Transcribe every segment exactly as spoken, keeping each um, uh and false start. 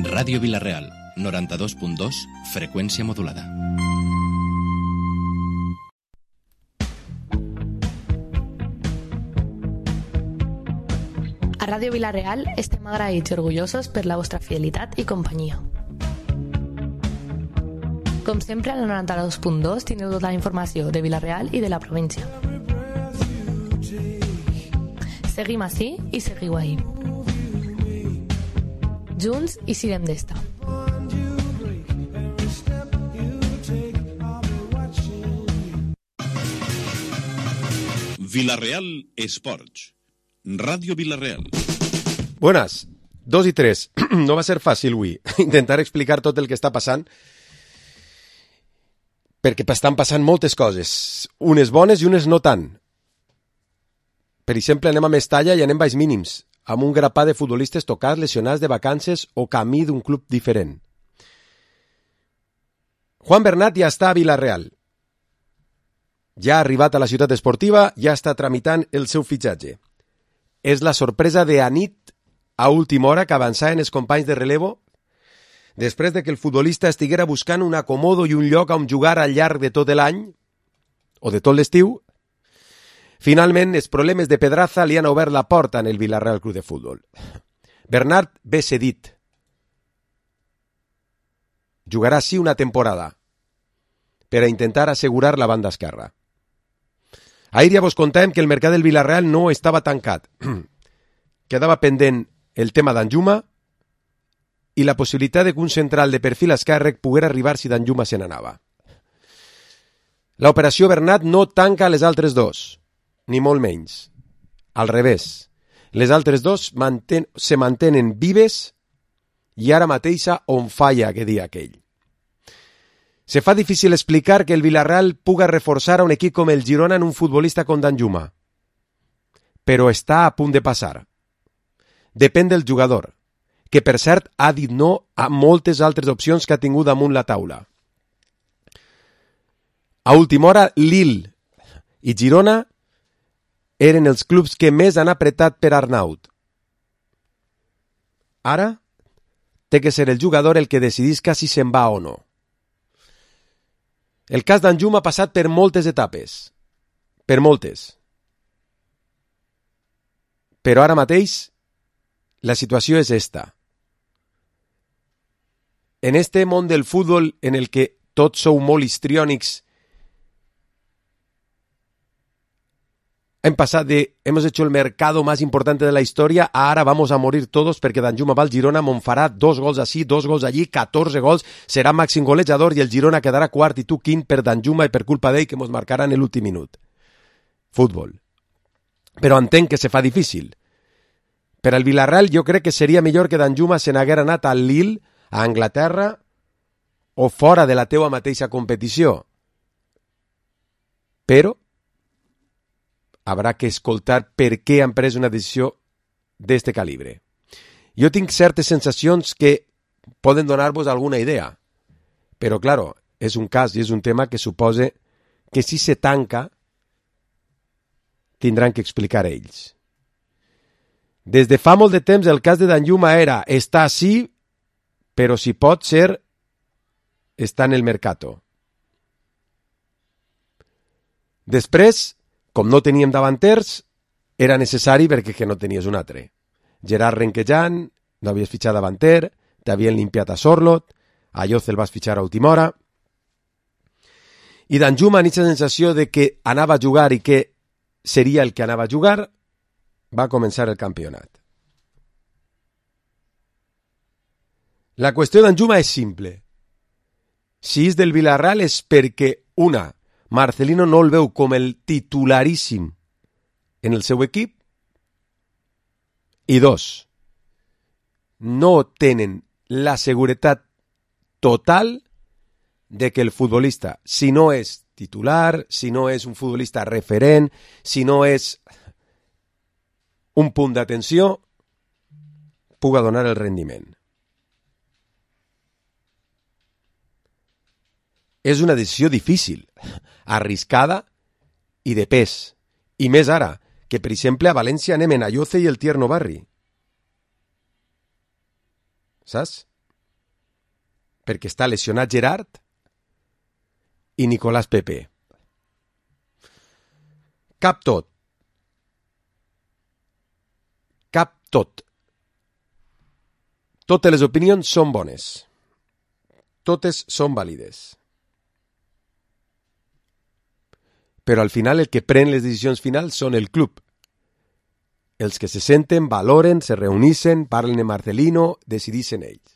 Ràdio Vila-real, noranta-dos punt dos, freqüència modulada. A Ràdio Vila-real estem agraïts i orgullosos per la vostra fidelitat i companyia. Com sempre, a la noranta-dos punt dos teniu tota la informació de Vila-real i de la província. Seguim ací i seguiu ahí. Junts i siguem d'esta. Vila-real Esports. Ràdio Vila-real. Buenas, dos i tres. No va ser fàcil avui intentar explicar tot el que està passant, perquè estan passant moltes coses, unes bones i unes no tant. Per exemple, anem a Mestalla i anem baix mínims, amb un grapat de futbolistes tocats, lesionats de vacances o camí d'un club diferent. Juan Bernat ja està a Vila-real. Ja ha arribat a la ciutat esportiva, ja està tramitant el seu fitxatge. És la sorpresa de Anit a última hora que avançaven els companys de relevo després de que el futbolista estiguera buscant un acomodo i un lloc on jugar al llarg de tot l'any o de tot l'estiu. Finalment, els problemes de Pedraza li han obert la porta en el Vila-real Club de Futbol. Bernat ve cedit. Jugarà sí una temporada per a intentar assegurar la banda esquerra. Ahir ja vos contàvem que el mercat del Vila-real no estava tancat. Quedava pendent el tema d'Anjuma i la possibilitat de que un central de perfil esquerre poguera arribar si d'Anjuma se n'anava. L'operació Bernat no tanca les altres dos, ni molt menys. Al revés, les altres dos manten, se mantenen vives i ara mateixa on falla que dia aquell. Se fa difícil explicar que el Vila-real puga reforçar a un equip com el Girona en un futbolista com Danjuma. Però està a punt de passar. Depèn del jugador, que per cert ha dit no a moltes altres opcions que ha tingut damunt la taula. A última hora, Lille i Girona eren els clubs que més han apretat per Arnaut. Ara té que ser el jugador el que decidisca si se'n va o no. El cas d'Anjuma ha passat per moltes etapes. Per moltes. Però ara mateix la situació és esta. En este món del futbol en el que tots sou molt histriònics, hem passat de hemos hecho el mercado más importante de la historia a ahora vamos a morir todos perquè Danjuma va al Girona, me'n farà dos gols així, dos gols allí, catorze gols, serà màxim golejador i el Girona quedarà quart i tu quint per Danjuma i per culpa d'ell que mos marcarà en l'últim minut. Futbol. Però entenc que se fa difícil. Per al Vila-real jo crec que seria millor que Danjuma se n'haguera anat al Lille, a Anglaterra o fora de la teua mateixa competició. Però habrà que escoltar per què han pres una decisió d'este calibre. Jo tinc certes sensacions que poden donar-vos alguna idea, però, claro, és un cas i és un tema que suposa que si se tanca tindran que explicar ells. Des de fa molt de temps el cas de Danjuma era està sí, però si pot ser està en el mercato. Després, com no teníem davanters, era necessari perquè que no tenies un altre. Gerard Renquejan, no havies fitxat davanter, t'havien limpiat a Sorlot, a Lloz el vas fitxar a última hora, i Danjuma, en aquesta sensació de que anava a jugar i que seria el que anava a jugar, va començar el campionat. La qüestió d'Anjuma és simple. Si és del Vila-real és perquè, una, Marcelino no el veu com el titularíssim en el seu equip i dos, no tenen la seguretat total de que el futbolista, si no és titular, si no és un futbolista referent, si no és un punt d'atenció, puga donar el rendiment. És una decisió difícil, arriscada i de pes. I més ara, que per exemple a València anem en Ayoce i el Tierno Barri. Saps? perquè està lesionat Gerard i Nicolás Pepe. Cap tot. Cap tot. Totes les opinions són bones. Totes són vàlides. Però al final el que pren les decisions finals són el club. Els que se senten, valoren, se reuneixen, parlen de Marcelino, decideixen ells.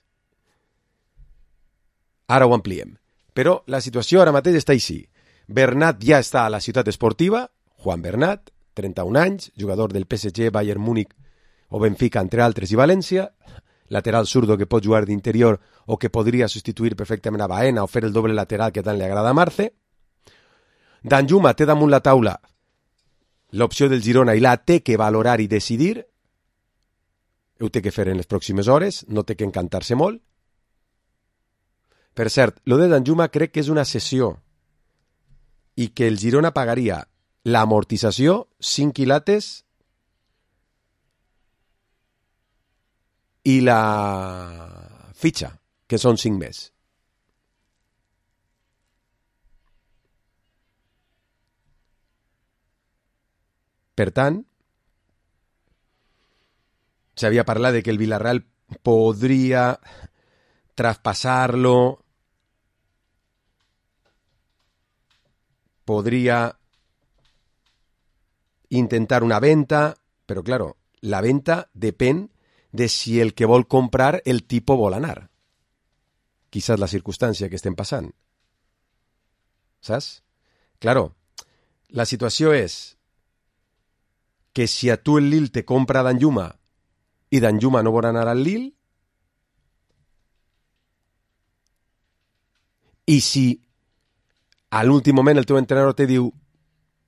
Ara ho ampliem. Però la situació ara mateix està així. Bernat ja està a la ciutat esportiva, Juan Bernat, trenta-un anys, jugador del P S G, Bayern Múnich o Benfica, entre altres, i València, lateral zurdo que pot jugar d'interior o que podria substituir perfectament a Baena o fer el doble lateral que tant li agrada a Marce. Danjuma té damunt la taula l'opció del Girona i la té que valorar i decidir. Ho té que fer en les pròximes hores, no té que encantar-se molt. Per cert, lo de Danjuma crec que és una cessió i que el Girona pagaria l'amortització, cinc quilates, i la fitxa, que són cinc més. Per tant, s'havia parlat de que el Villarreal podria traspassar-lo, podria intentar una venta, però, claro, la venta depèn de si el que vol comprar el tipo vol anar. Quizás la circumstància que estem passant. Saps? Claro, la situació és que si a tu el Lille te compra Danjuma i Danjuma no vol anar al Lille, i si a l'últim moment el teu entrenador te diu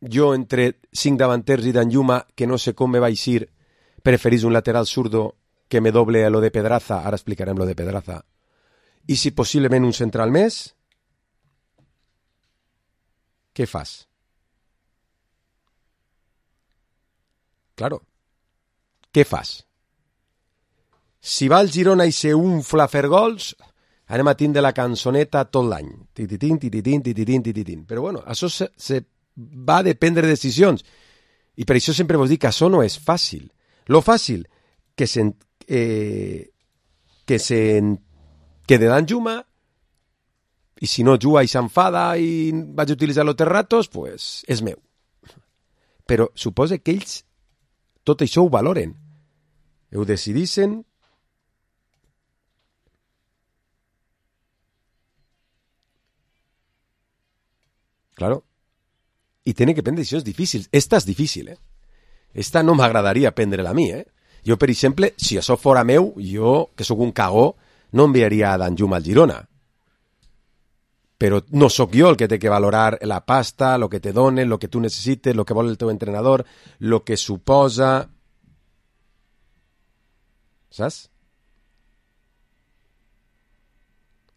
jo entre cinc davanters i Danjuma que no sé com me va eixir, preferís un lateral zurdo que me doble a lo de Pedraza, ara explicarem lo de Pedraza, i si possiblement un central més, què fas? Claro, què fas? Si va al Girona i se unfla a fer gols, anem a tindre la cançoneta tot l'any. Tititín, tititín, tititín, tititín. Però bueno, això se, se va a dependre de decisions. I per això sempre vos dic que això no és fàcil. Lo fàcil, que se, eh, que se que de Danjuma, i si no juga i s'enfada i vaig utilitzar los terratos, pues és meu. Però suposa que ells tot això ho valoren. Ho decidixen. Claro. I tenen que prendre decisions difícils. Esta és difícil, eh? Esta no m'agradaria prendre-la a mi, eh? Jo, per exemple, si això fora meu, jo, que sóc un cagó, no enviaria a Danjuma al Girona. Però no sóc jo el que té que valorar la pasta, el que te donen, el que tu necessites, el que vol el teu entrenador, el que suposa... Saps?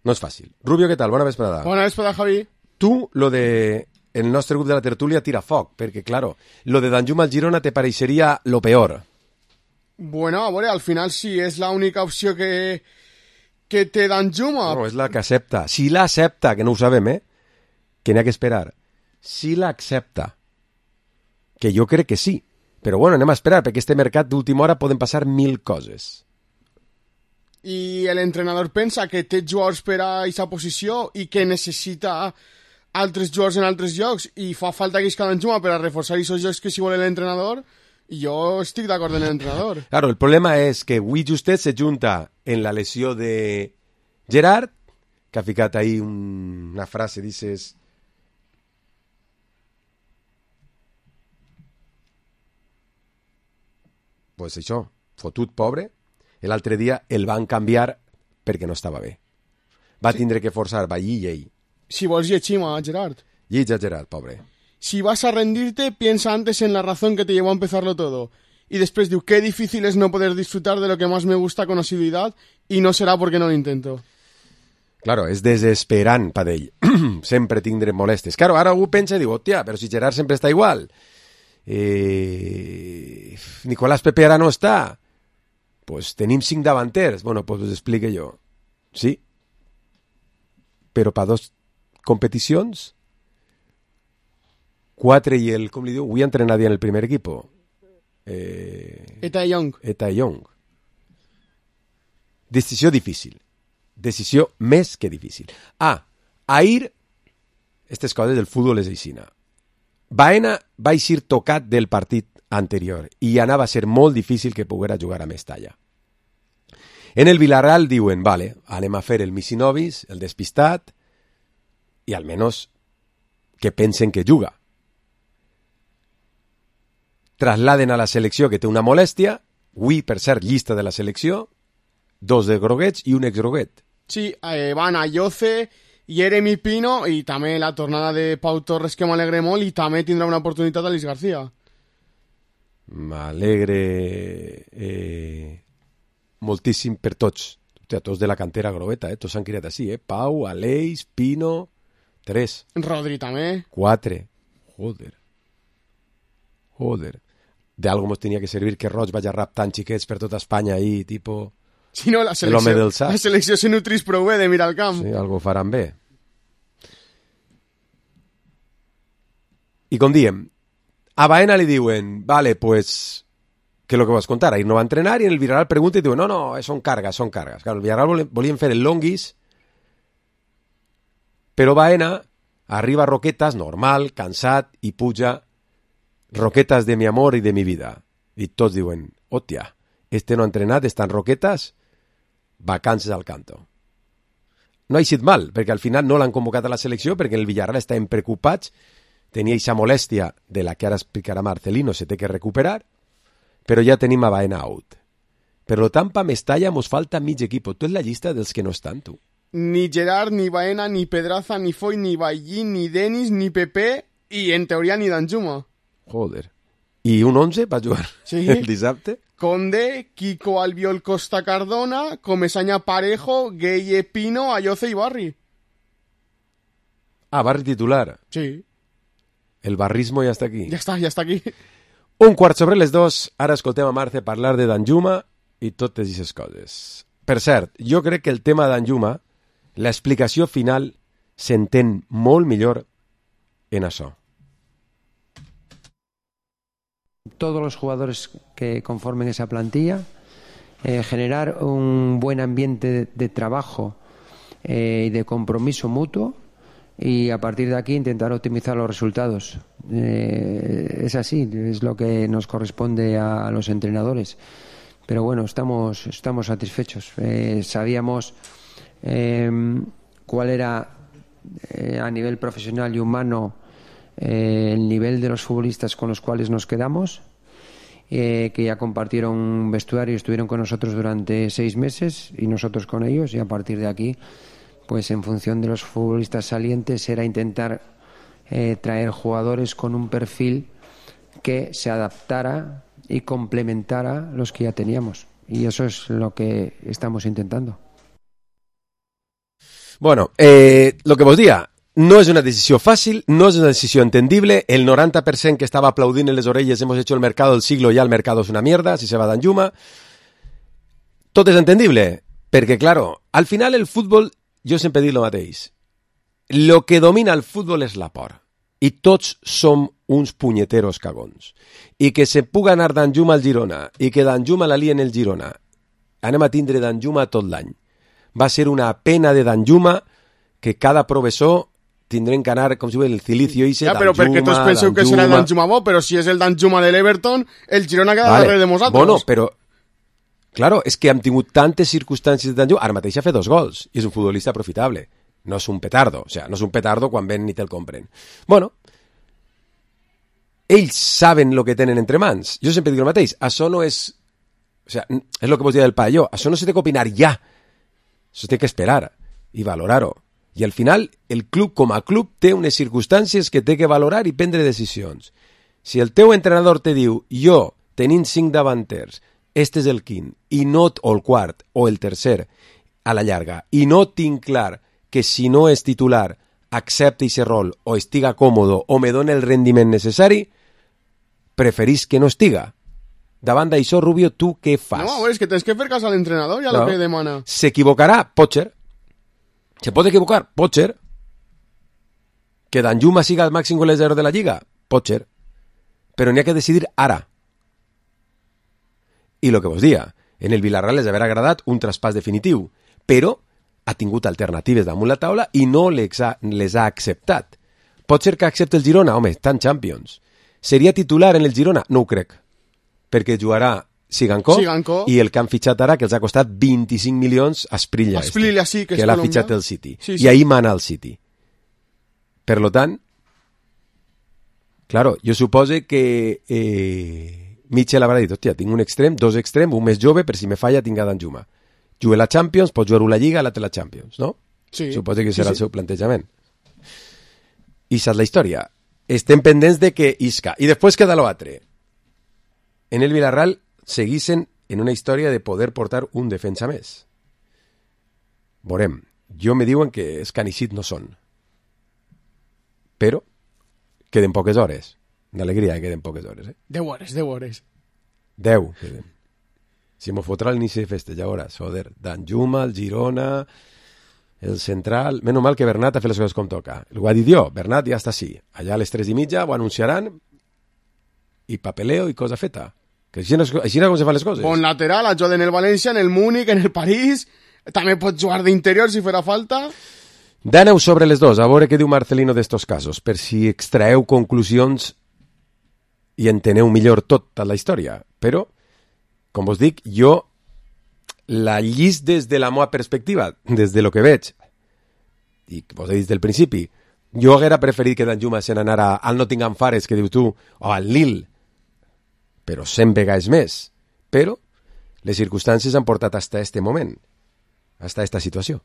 No és fàcil. Rubio, què tal? Bona vesprada. Bona vesprada, Javi. Tu, lo de... el nostre grup de la tertúlia tira foc, perquè, claro, lo de Danjuma al Girona te pareixeria lo peor. Bueno, a veure, al final sí, és l'única opció que, que té Danjuma. No, és la que accepta. Si l'accepta, que no ho sabem, eh? Que n'hi ha que esperar. Si l'accepta. Que jo crec que sí. Però bueno, anem a esperar, perquè este mercat d'última hora poden passar mil coses. I l'entrenador pensa que té jugadors per a aquesta posició i que necessita altres jugadors en altres llocs i fa falta que isca Danjuma per a reforçar aquests llocs que si vol l'entrenador, i jo estic d'acord amb l'entrenador. Claro, el problema és que avui justet se junta en la lesió de Gerard, que ha ficat ahí un, una frase, dices... Pues això, fotut pobre, l'altre dia el van canviar perquè no estava bé. Va sí. tindre que forçar, va llir ell. Si vols llegim a Gerard. Llig a Gerard, pobre. Si vas a rendirte, piensa antes en la razón que te llevó a empezarlo todo. Y después diu, qué difícil es no poder disfrutar de lo que más me gusta con asiduidad y no será porque no lo intento. Claro, és desesperant per ell. Sempre tindrem molestes. Claro, ara algú pensa i diu, hòstia, però si Gerard sempre està igual. Eh... Nicolás Pepe ara no està. Pues tenim cinc davanters. Bueno, pues us explique jo. Sí. però per dos competicions, quatre i el, com li diu, avui entrenaria en el primer equip. Eh, Eta Young. Eta Young. Decisió difícil. Decisió més que difícil. Ah, ahir, aquestes coses del futbol és aixina. Baena va eixir tocat del partit anterior i anava a ser molt difícil que poguera jugar a Mestalla. En el Villarreal diuen, vale, anem a fer el Misinovis, el despistat, i almenys que pensen que juga. Trasladen a la selecció que té una molèstia, avui, per cert, llista de la selecció, dos de groguets i un exgroguet. Sí, eh, van a Yoce, Jeremy Pino i també la tornada de Pau Torres, que m'alegre molt, i també tindrà una oportunitat Aleix García. M'alegre eh, moltíssim per tots. Hòstia, tots de la cantera grogueta, eh? Tots s'han criat així, eh? Pau, Aleix, Pino, tres. Rodri també. Quatre. Joder. Joder. De algo mos tenia que servir que Roig vagi raptant xiquets per tota Espanya ahí, tipo... Si no, la selecció, la selecció se nutrís prou bé de mirar al camp. Sí, algo faran bé. I com diem, a Baena li diuen, vale, pues, que lo que vas contar, ahir no va entrenar, i en el Villarreal pregunta i diuen, no, no, són cargas, són cargas. Claro, el Villarreal volien fer el longuis, però Baena arriba a Roquetas, normal, cansat, i puja Roquetas de mi amor i de mi vida. I tots diuen, hòstia, este no ha entrenat, està en Roquetas, vacances al canto. No ha eixit mal, perquè al final no l'han convocat a la selecció, perquè el Villarreal estaven preocupats, tenia aquesta molèstia de la que ara explicarà Marcelino, se té que recuperar, però ja tenim a Baena out. Per lo tant, pa Mestalla mos falta mig equip. Tu és la llista dels que no estan, tu. Ni Gerard, ni Baena, ni Pedraza, ni Foy, ni Ballín, ni Denis, ni Pepe, i en teoria ni Danjuma. Joder. I un onze va jugar sí. El dissabte? Conde, Kiko Albiol Costa Cardona, Comesaña Parejo, Gueye Pino, Ayoce i Barri. Ah, Barri titular. Sí. El barrismo ja està aquí. Ja està, ja està aquí. Un quart sobre les dos, ara escoltem a Marce parlar de Danjuma i totes aquestes coses. Per cert, jo crec que el tema de Danjuma, l'explicació final s'entén molt millor en això. Todos los jugadores que conformen esa plantilla, eh, generar un buen ambiente de, de trabajo eh, y de compromiso mutuo, y a partir de aquí intentar optimizar los resultados. Eh, es así, es lo que nos corresponde a, a los entrenadores. Pero bueno, estamos, estamos satisfechos. Eh, sabíamos eh, cuál era eh, a nivel profesional y humano eh, el nivel de los futbolistas con los cuales nos quedamos, eh, que ya compartieron vestuario y estuvieron con nosotros durante seis meses y nosotros con ellos, y a partir de aquí, pues en función de los futbolistas salientes era intentar eh, traer jugadores con un perfil que se adaptara y complementara los que ya teníamos, y eso es lo que estamos intentando. Bueno, eh, lo que vos diga, no és una decisió fàcil, no és una decisió entendible, el noranta per cent que estava aplaudint en les orelles hemos hecho el mercado del siglo, ya el mercado es una mierda, si se va Danjuma, tot és entendible, perquè, claro, al final el futbol, jo sempre dic el mateix, lo que domina el futbol és la por, i tots som uns punyeteros cagons, i que se puga anar Danjuma al Girona, i que Danjuma la lien el Girona, anem a tindre Danjuma tot l'any. Va ser una pena de Danjuma que cada professor tindrem que anar, com si diu, el cilicio i se ja, però Danjuma, perquè tots penseu Danjuma... que serà el Danjuma bo, però si és el Danjuma de l'Everton, el Girona queda vale. darrere de nosaltres. Bueno, però, claro, és que hem tingut tantes circumstàncies de Danjuma, ara mateix ha fet dos gols, i és un futbolista profitable, no és un petardo, o sea, no és un petardo quan ven ni te'l compren. Bueno, ells saben el que tenen entre mans. Jo sempre dic el mateix, això no és... O sea, és el que vos deia del Palló, això no s'ha de opinar ja, això té que esperar i valorar-ho. I al final, el club com a club té unes circumstàncies que té que valorar i prendre decisions. Si el teu entrenador te diu, jo, tenint cinc davanters, este és el quint, i no, o el quart, o el tercer, a la llarga, i no tinc clar que si no és titular accepti aquest rol, o estiga còmodo, o me doni el rendiment necessari, preferís que no estiga. Davant d'això, Rubio, tu què fas? No, és que tens que fer cas a l'entrenador i a no. Lo que demana. S'equivocarà? Pot ser. ¿Se puede equivocar? Potcher. ¿Que Danjuma siga el máximo golejador de la Lliga? Potcher. Pero n'hi ha que decidir ara. I el que vos dia, en el Villarreal les haver agradat un traspàs definitiu, però ha tingut alternatives damunt la taula i no les ha, les ha acceptat. Pot ser que accepti el Girona? Home, tant Champions. Seria titular en el Girona? No ho crec. Perquè jugarà Sigankov, Sigankov. I el que han fitxat ara, que els ha costat vint-i-cinc milions, Asprilla, Asprilla, este, sí, que, que és l'ha colombià. fitxat el City. Sí, sí. I ahir mana el City. Per lo tant, claro, jo supose que eh, Mitchell haurà dit, hòstia, tinc un extrem, dos extrem, un més jove, per si me falla tinc a Danjuma. Jugue la Champions, pot jugar la Lliga, l'altre la Champions, no? Sí. Supose que serà sí, el sí. seu plantejament. I saps la història. Estem pendents de que isca. I després queda l'altre. En el Villarreal seguissin en una història de poder portar un defensa més. Veurem. Jo me diuen que els Canixit no són. Però queden poques hores. D'alegria que queden poques hores, eh? Deu hores, deu hores. Deu queden. Si m'ho fotrà a l'inici de festa, ja veuràs. Joder, Danjuma, el Girona, el Central... Menys mal que Bernat ha fet les coses com toca. Ho ha dit jo, Bernat ja està així. Allà a les tres i mitja ho anunciaran i papeleo i cosa feta. Que així, no, així no com se fan les coses. Bon lateral, ha jugat en el València, en el Múnich, en el París... També pot jugar d'interior si farà falta. Daneu sobre les dos, a veure què diu Marcelino d'estos casos, per si extraeu conclusions i enteneu millor tota la història. Però, com vos dic, jo la llis des de la meva perspectiva, des de lo que veig, i vos he dit del principi, jo haguera preferit que Danjuma se n'anara al Nottingham Forest, que diu tu, o al Lille, però cent vegades més. Però les circumstàncies han portat hasta este moment, hasta esta situació,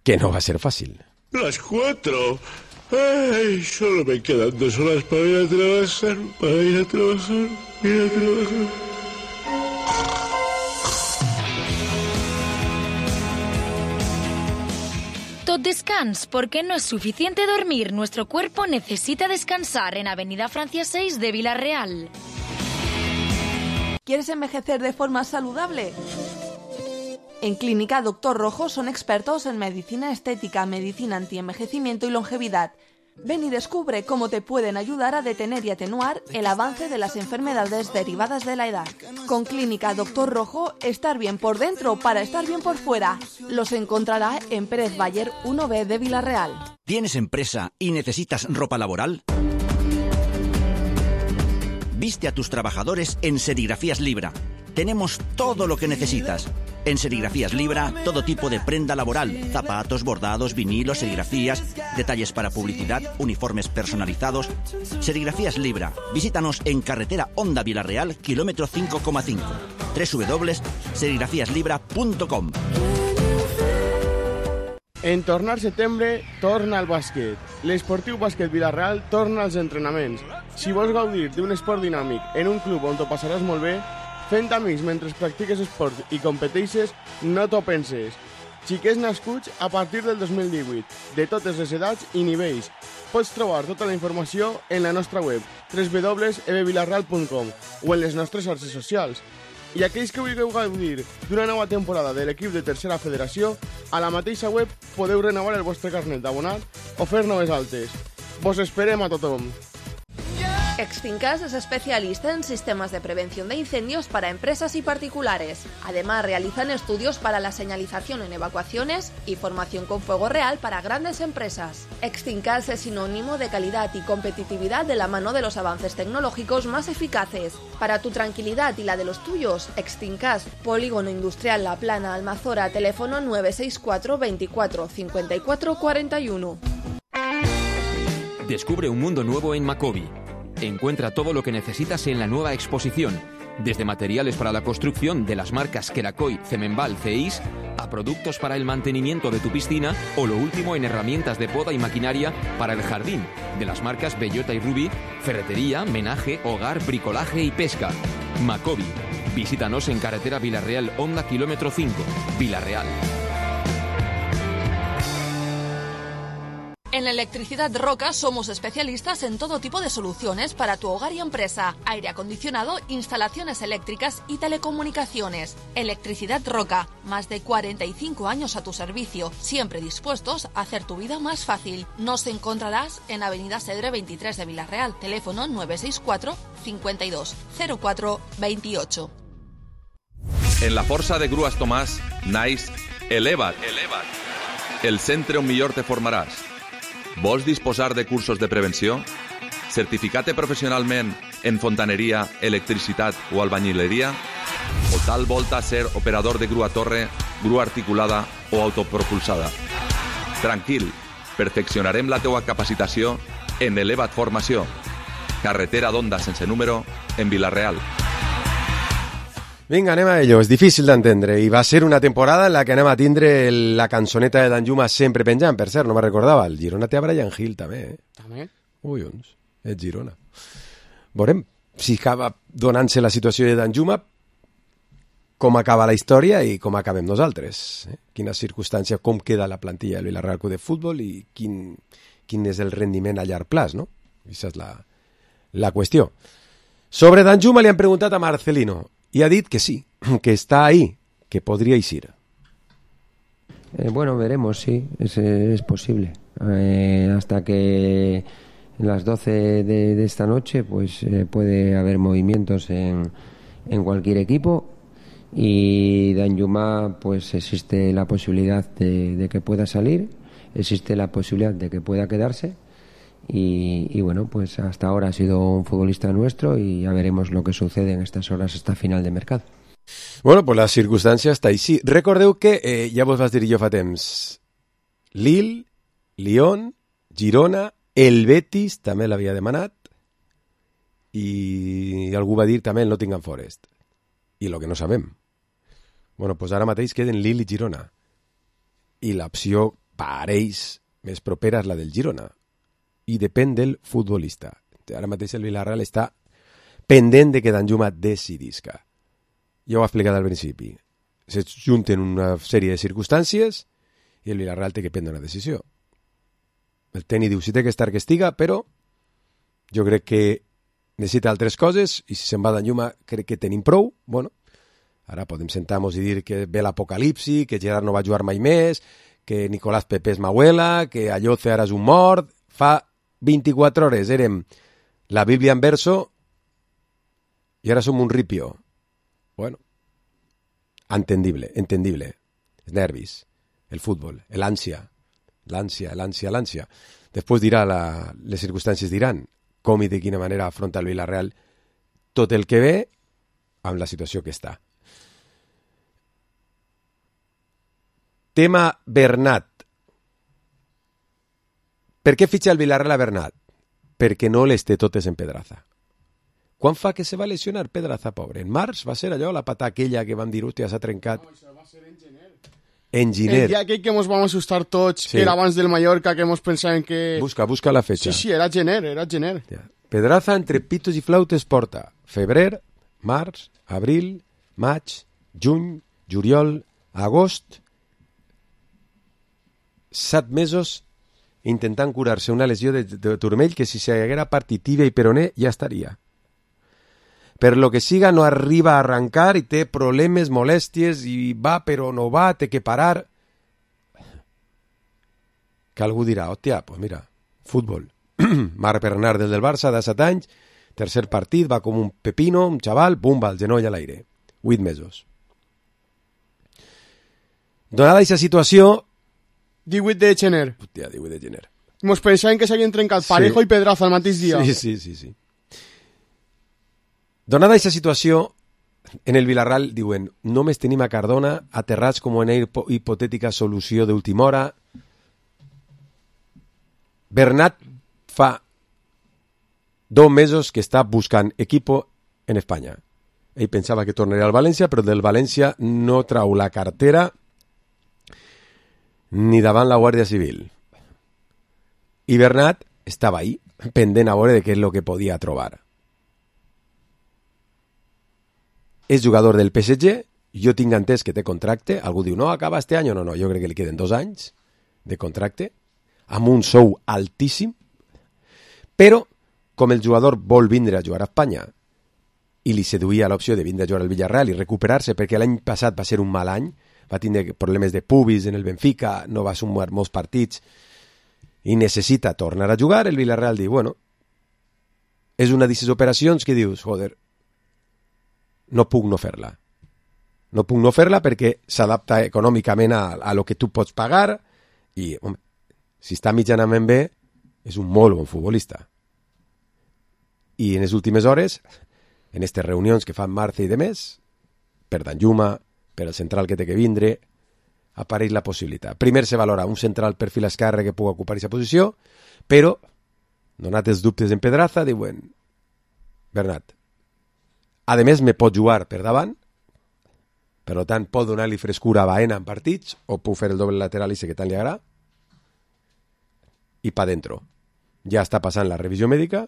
que no va a ser fácil. Las cuatro. Ay, solo me quedan dos horas para ir a trabajar, para ir a trabajar, ir a trabajar. Tot descans, porque no es suficiente dormir. Nuestro cuerpo necesita descansar en Avenida Francia seis de Villarreal. ¿Quieres envejecer de forma saludable? En Clínica Doctor Rojo son expertos en medicina estética, medicina antienvejecimiento y longevidad. Ven y descubre cómo te pueden ayudar a detener y atenuar el avance de las enfermedades derivadas de la edad. Con Clínica Doctor Rojo, estar bien por dentro para estar bien por fuera. Los encontrará en Pérez Bayer uno B de Villarreal. ¿Tienes empresa y necesitas ropa laboral? Viste a tus trabajadores en Serigrafías Libra. Tenemos todo lo que necesitas. En Serigrafías Libra, todo tipo de prenda laboral, zapatos, bordados, vinilos, serigrafías, detalles para publicidad, uniformes personalizados. Serigrafías Libra. Visítanos en carretera Honda Villarreal, kilómetro cinco coma cinco. doble u doble u doble u punt serigrafías libra punt com. En tornar setembre, torna al bàsquet. L'Esportiu Bàsquet Villarreal torna als entrenaments. Si vols gaudir d'un esport dinàmic en un club on t'ho passaràs molt bé, fent amics mentre practiques esport i competeixes, no t'ho penses. Xiquets nascuts a partir del dos mil divuit, de totes les edats i nivells. Pots trobar tota la informació en la nostra web, doble u doble u doble u punt e b villarreal punt com, o en les nostres xarxes socials. I aquells que vulgueu gaudir d'una nova temporada de l'equip de Tercera Federació, a la mateixa web podeu renovar el vostre carnet d'abonat o fer noves altes. Vos esperem a tothom. Exfincas es especialista en sistemas de prevención de incendios para empresas y particulares. Además, realizan estudios para la señalización en evacuaciones y formación con fuego real para grandes empresas. Exfincas es sinónimo de calidad y competitividad de la mano de los avances tecnológicos más eficaces. Para tu tranquilidad y la de los tuyos, Exfincas, Polígono Industrial La Plana, Almazora, teléfono nueve seis cuatro veinticuatro cincuenta y cuatro cuarenta y uno. Descubre un mundo nuevo en Macobi. Encuentra todo lo que necesitas en la nueva exposición, desde materiales para la construcción de las marcas Kerakoy, Cemenbal, Ceis, a productos para el mantenimiento de tu piscina o lo último en herramientas de poda y maquinaria para el jardín, de las marcas Bellota y Ruby, ferretería, menaje, hogar, bricolaje y pesca. Macobi. Visítanos en carretera Villarreal Honda kilómetro cinco, Villarreal. En Electricidad Roca somos especialistas en todo tipo de soluciones para tu hogar y empresa, aire acondicionado, instalaciones eléctricas y telecomunicaciones. Electricidad Roca, más de cuarenta y cinco años a tu servicio, siempre dispuestos a hacer tu vida más fácil. Nos encontrarás en Avenida Cedre veintitrés de Villarreal, teléfono nueve seis cuatro, cincuenta y dos, cero cuatro, veintiocho. En la Força de Grues Tomàs naix Eleva't, Eleva't, el centre on millor te formaràs. Vols disposar de cursos de prevenció? Certificar-te professionalment en fontaneria, electricitat o albañileria? O tal volta ser operador de grua torre, grua articulada o autopropulsada? Tranquil, perfeccionarem la teua capacitació en Eleva't Formació, carretera d'Onda sense número, en Vila-real. Vinga, anem a ello. És difícil d'entendre i va ser una temporada en la que anem a tindre la cançoneta de Danjuma sempre penjant. Per cert, no me recordava, el Girona té a Brian Hill també, eh? També? Ui, uns, és Girona. Veurem si acaba donant-se la situació de Danjuma, com acaba la història i com acabem nosaltres. Eh? Quines circumstàncies, com queda la plantilla del Villarreal Club de Futbol i quin, quin és el rendiment a llarg plaç, no? Aquesta és la, la qüestió. Sobre Danjuma li han preguntat a Marcelino y ha dit que sí, que está ahí, que podría ir. Eh, bueno, veremos, sí, es, es posible. Eh, hasta que las doce de, de esta noche pues eh, puede haber movimientos en, en cualquier equipo y Danjuma pues existe la posibilidad de, de que pueda salir, existe la posibilidad de que pueda quedarse. Y, y bueno, pues hasta ahora ha sido un futbolista nuestro y ya veremos lo que sucede en estas horas hasta final de mercado. Bueno, pues la circumstància està així. Recordeu que, eh, ja vos vas dir jo fa temps, Lille, Lyon, Girona, el Betis també l'havia demanat i algú va dir també el Nottingham Forest. I el que no sabem. Bueno, pues ara mateix queden Lille i Girona. I l'opció pareix més propera és la del Girona. I depèn del futbolista. Ara mateix el Villarreal està pendent de que Danjuma decidisca. Ja ho he explicat al principi. Se junten una sèrie de circumstàncies i el Villarreal té que prendre una decisió. El tècnic diu si té que estar que estiga, però jo crec que necessita altres coses i si se'n va Danjuma crec que tenim prou. Bueno, ara podem sentar-nos i dir que ve l'apocalipsi, que Gerard no va jugar mai més, que Nicolás Pepe és Mahuela, que Alloce ara és un mort. Fa vint-i-quatre hores érem la Bíblia en verso i ara som un ripio. Bueno, entendible, entendible. Els nervis, el futbol, l'ànsia, l'ànsia, l'ànsia, l'ànsia. Després dirà, la, les circumstàncies diran com i de quina manera afronta el Villarreal tot el que ve amb la situació que està. Tema Bernat. Per què fitxa el Villarreal a Bernat? Perquè no les té totes en Pedraza. Quan fa que se va lesionar Pedraza, pobre? En març va ser allò, la pata aquella que van dir, hòstia, s'ha trencat. No, això va ser en gener. En gener. El dia aquell que ens vam assustar tots, sí. Que era abans del Mallorca, que ens pensàvem que... Busca, busca la fecha. Sí, sí, era gener, era gener. Ja. Pedraza entre pitos i flautes porta febrer, març, abril, maig, juny, juliol, agost, set mesos intentant curar-se una lesió de, de turmell que si s'haguera partit tibia i peroné ja estaria. Per lo que siga no arriba a arrancar i té problemes, molèsties i va però no va, té que parar. Que algú dirà, hòstia, pues mira, futbol. Marc Bernat del del Barça de set anys, tercer partit, va com un pepino, un xaval, bum, va el genoll a l'aire. Vuit mesos. Donada aquesta situació, divuit de gener. Hòstia, divuit de gener. Mos pensàvem que s'havien trencat Parejo sí. I Pedraza el mateix dia. Sí, sí, sí, sí. Donada aquesta situació, en el Villarreal diuen, només tenim a Cardona aterrats com una hipotètica solució d'última hora. Bernat fa dos mesos que està buscant equipo en Espanya. Ell pensava que tornaria al València, però del València no trau la cartera ni davant la Guàrdia Civil. I Bernat estava ahí, pendent a veure de què és el que podia trobar. És jugador del P S G, jo tinc entès que té contracte, algú diu, no, acaba este any, no, no, jo crec que li queden dos anys de contracte, amb un sou altíssim, però com el jugador vol vindre a jugar a Espanya i li seduïa l'opció de vindre a jugar al Villarreal i recuperar-se, perquè l'any passat va ser un mal any, va tindre problemes de pubis en el Benfica, no va sumar molts partits i necessita tornar a jugar, el Villarreal diu, bueno, és una d'aquestes operacions que dius, joder, no puc no fer-la. No puc no fer-la perquè s'adapta econòmicament a, a lo que tu pots pagar i, home, si està mitjanament bé, és un molt bon futbolista. I en les últimes hores, en aquestes reunions que fan Marce i demés, per Danjuma, per el central que té que vindre, apareix la possibilitat. Primer se valora un central perfil esquerre que pugui ocupar aquesta posició, però, donat els dubtes en Pedraza, diuen, Bernat, a més me pot jugar per davant, per tant pot donar-li frescura a Baena en partits, o puc fer el doble lateral i sé que tant li agrada, i pa dentro. Ja està passant la revisió mèdica,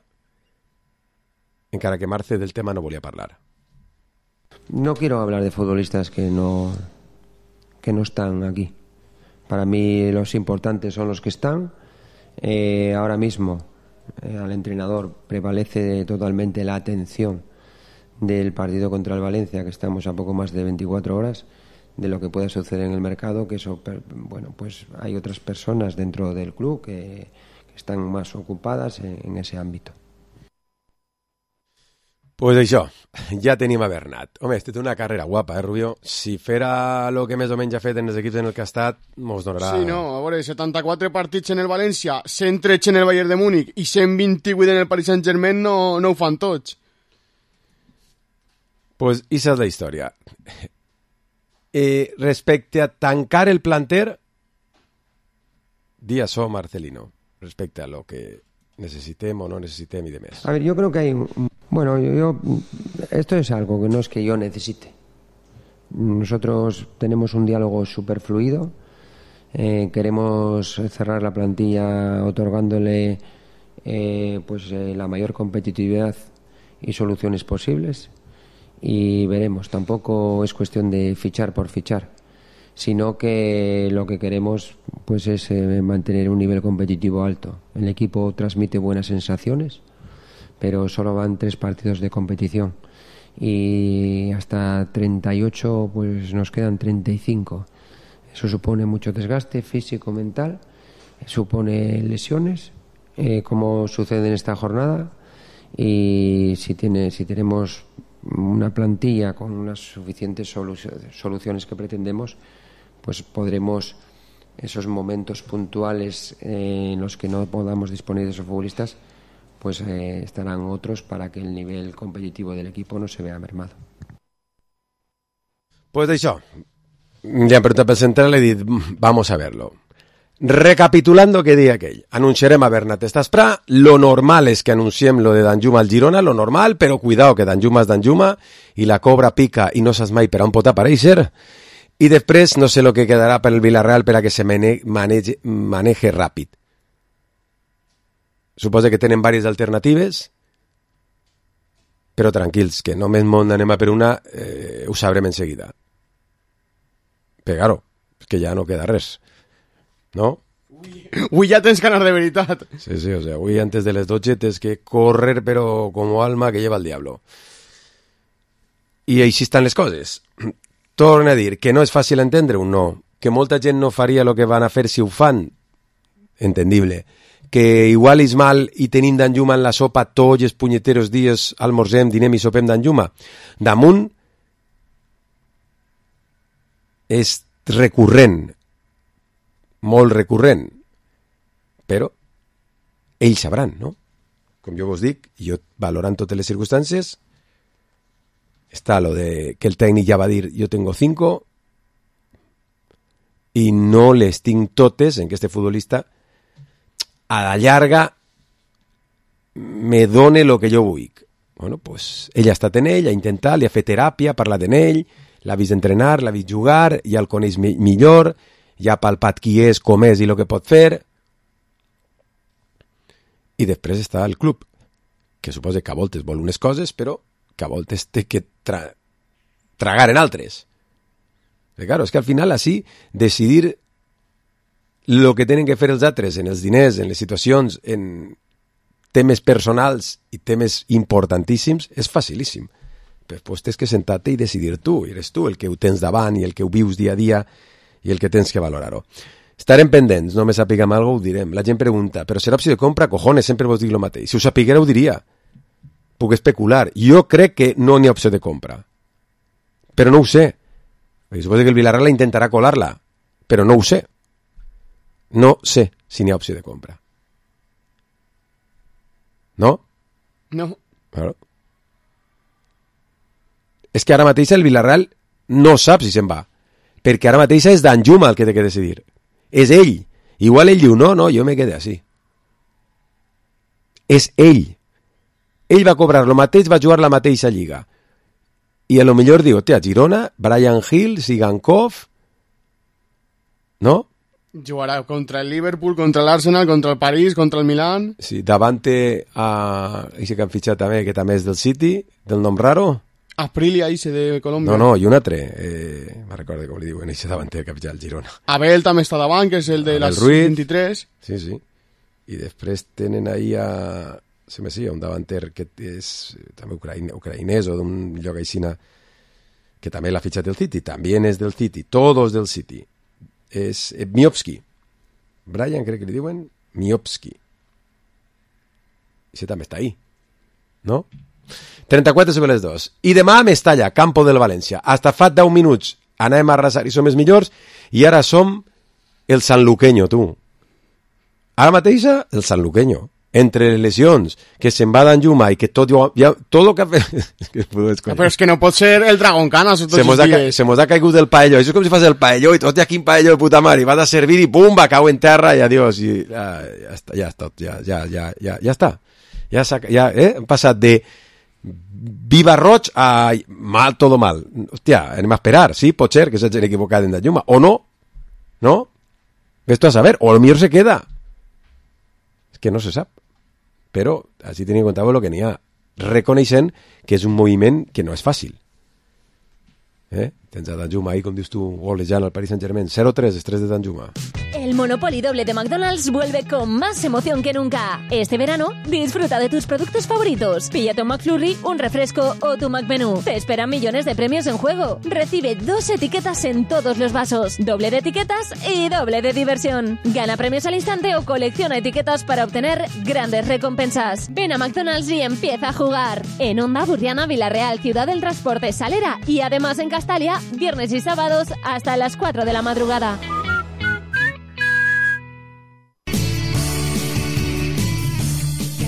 encara que Marce del tema no volia parlar. No quiero hablar de futbolistas que no, que no están aquí. Para mí los importantes son los que están. Eh, ahora mismo eh, al entrenador prevalece totalmente la atención del partido contra el Valencia, que estamos a poco más de veinticuatro horas, de lo que pueda suceder en el mercado, que eso, bueno, pues hay otras personas dentro del club que, que están más ocupadas en, en ese ámbito. Pues això, ja tenim a Bernat. Home, este té una carrera guapa, eh, Rubio? Si fera el que més o menys ha fet en els equips en el que ha estat, mos donarà... Sí, no, a veure, setanta-quatre partits en el València, cent tretze en el Bayern de Múnich i cent vint-i-vuit en el Paris Saint-Germain no, no ho fan tots. Pues esa és la història. Eh, respecte a tancar el planter, di això, Marcelino, respecte a lo que necessitem o no necessitem i demés. A ver, yo creo que hay... Bueno, yo, yo esto es algo que no es que yo necesite. Nosotros tenemos un diálogo súper fluido. Eh, queremos cerrar la plantilla otorgándole eh, pues eh, la mayor competitividad y soluciones posibles. Y veremos, tampoco es cuestión de fichar por fichar, sino que lo que queremos pues es eh, mantener un nivel competitivo alto. El equipo transmite buenas sensaciones, pero solo van tres partidos de competición y hasta treinta y ocho pues nos quedan treinta y cinco. Eso supone mucho desgaste físico, mental, supone lesiones, eh, como sucede en esta jornada, y si tiene, si tenemos una plantilla con unas suficientes solu- soluciones que pretendemos, pues podremos esos momentos puntuales eh, en los que no podamos disponer de esos futbolistas, pues eh, estarán otros para que el nivel competitivo del equipo no se vea mermado. Pues això, ja hem preguntat pel central, he dit, vamos a verlo. Recapitulando que dia aquell, anunciarem a Bernat Estasprà, lo normal és que anunciem lo de Danjuma al Girona, lo normal, però cuidao que Danjuma és Danjuma, i la cobra pica i no saps mai per on pot aparèixer, i després no sé lo que quedarà per el Villarreal per a que se mane manege, maneje ràpid. Suposa que tenen diverses alternatives, però tranquils, que només món anem a per una, eh, ho sabrem en seguida. Però, claro, és que ja no queda res, no? Avui ja tens ganas de veritat. Sí, sí, o sea, avui antes de les dotze tens que correr, però como alma que lleva el diablo. I així estan les coses. Torna a dir que no és fàcil entendre un no, que molta gent no faria el que van a fer si ho fan, entendible, que igual és mal i tenim Danjuma en la sopa tots els punyeteros dies, almorzem, dinem i sopem Danjuma. Damunt és recurrent, molt recurrent, però ells sabran, no? Com jo vos dic, jo valorant totes les circumstàncies, està lo de que el tècnic ja va dir jo tengo cinco i no les tinc totes en que este futbolista a la llarga me done lo que jo vull. Bueno, pues ell ha estat en ell, ha intentat, li ha fet teràpia, ha parlat en ell, l'ha vist entrenar, l'ha vist jugar, ja el coneix mi- millor, ja ha palpat qui és, com és i el que pot fer. I després està el club, que suposa que a voltes vol unes coses, però que a voltes té que tra tragar en altres. Però, claro, és que al final així decidir el que tenen que fer els altres en els diners, en les situacions, en temes personals i temes importantíssims, és facilíssim. Després tens que sentar-te i decidir tu, i eres tu el que ho tens davant i el que ho vius dia a dia i el que tens que valorar-ho. Estarem pendents, no me sapiguem alguna cosa, ho direm. La gent pregunta, però serà opció de compra? Cojones, sempre vos dic el mateix. Si ho sapiguera ho diria. Puc especular. Jo crec que no n'hi ha opció de compra. Però no ho sé. Suposo que el Villarreal intentarà colar-la, però no ho sé. No sé si n'hi ha opció de compra. No? No. Claro. És que ara mateix el Villarreal no sap si se'n va, perquè ara mateix és Danjuma el que té que decidir. És ell. Igual ell diu, no, no, jo me quedé així. És ell. Ell va cobrar el mateix, va jugar la mateixa lliga. I a lo millor diu, hòstia, Girona, Brian Hill, Sigankov, no? Jugarà contra el Liverpool, contra l'Arsenal, contra el París, contra el Milan. Sí, davante a... Ese que han fitxat també, que també és del City, del nom raro. Aprilia, ese de Colòmbia. No, no, i un altre. Eh, me recordo com li diuen, ese davanter que ha fitxat el Girona. Abel també està davant, que és el de les vint-i-tres. Sí, sí. I després tenen ahí a... Se me sí, un davanter que és també ucraïne, ucraïnès o d'un lloc aixina que també l'ha fitxat el City. També és del City. Todos del City. És Miovski. Brian, crec que li diuen Miovski. I també està ahí. No? trenta-quatre sobre les dos. I demà a Mestalla, campo del València. Hasta fa deu minuts anàvem a arrasar i som els millors i ara som el sanluqueño, tu. Ara mateixa, el sanluqueño. Entre les lesions, que se'n va Danjuma i que tot, ja, tot el que ha fet... Però és que no pot ser el Dragon Canas tots els dies. Se mos ha caigut el paelló. Això és com si fas el paelló i tot, quin paelló de puta mare, i vas a servir i pum, va, cau en terra i adiós. I, ja, ja està, ja està, ja, ja, ja, ja, ja està. Ja, ja eh? Hem passat de viva roig a mal, todo mal. Hòstia, anem a esperar, sí, pot ser que s'hagin equivocat en Danjuma, o no, no? Ves-tu a saber, o a lo millor se queda. És que no se sap. Però així tenim en compte el que n'hi ha, reconeixent que és un moviment que no és fàcil. ¿Eh? Tens a Danjuma ahí, com dius tu, golejant al Paris Saint-Germain. cero tres, estrés de Danjuma. El Monopoly doble de McDonald's vuelve con más emoción que nunca. Este verano, disfruta de tus productos favoritos. Píllate un McFlurry, un refresco o tu McMenú. Te esperan millones de premios en juego. Recibe dos etiquetas en todos los vasos. Doble de etiquetas y doble de diversión. Gana premios al instante o colecciona etiquetas para obtener grandes recompensas. Ven a McDonald's y empieza a jugar. En Onda, Burriana, Villarreal, Ciudad del Transporte, Salera y además en Castalia, viernes y sábados hasta las cuatro de la madrugada.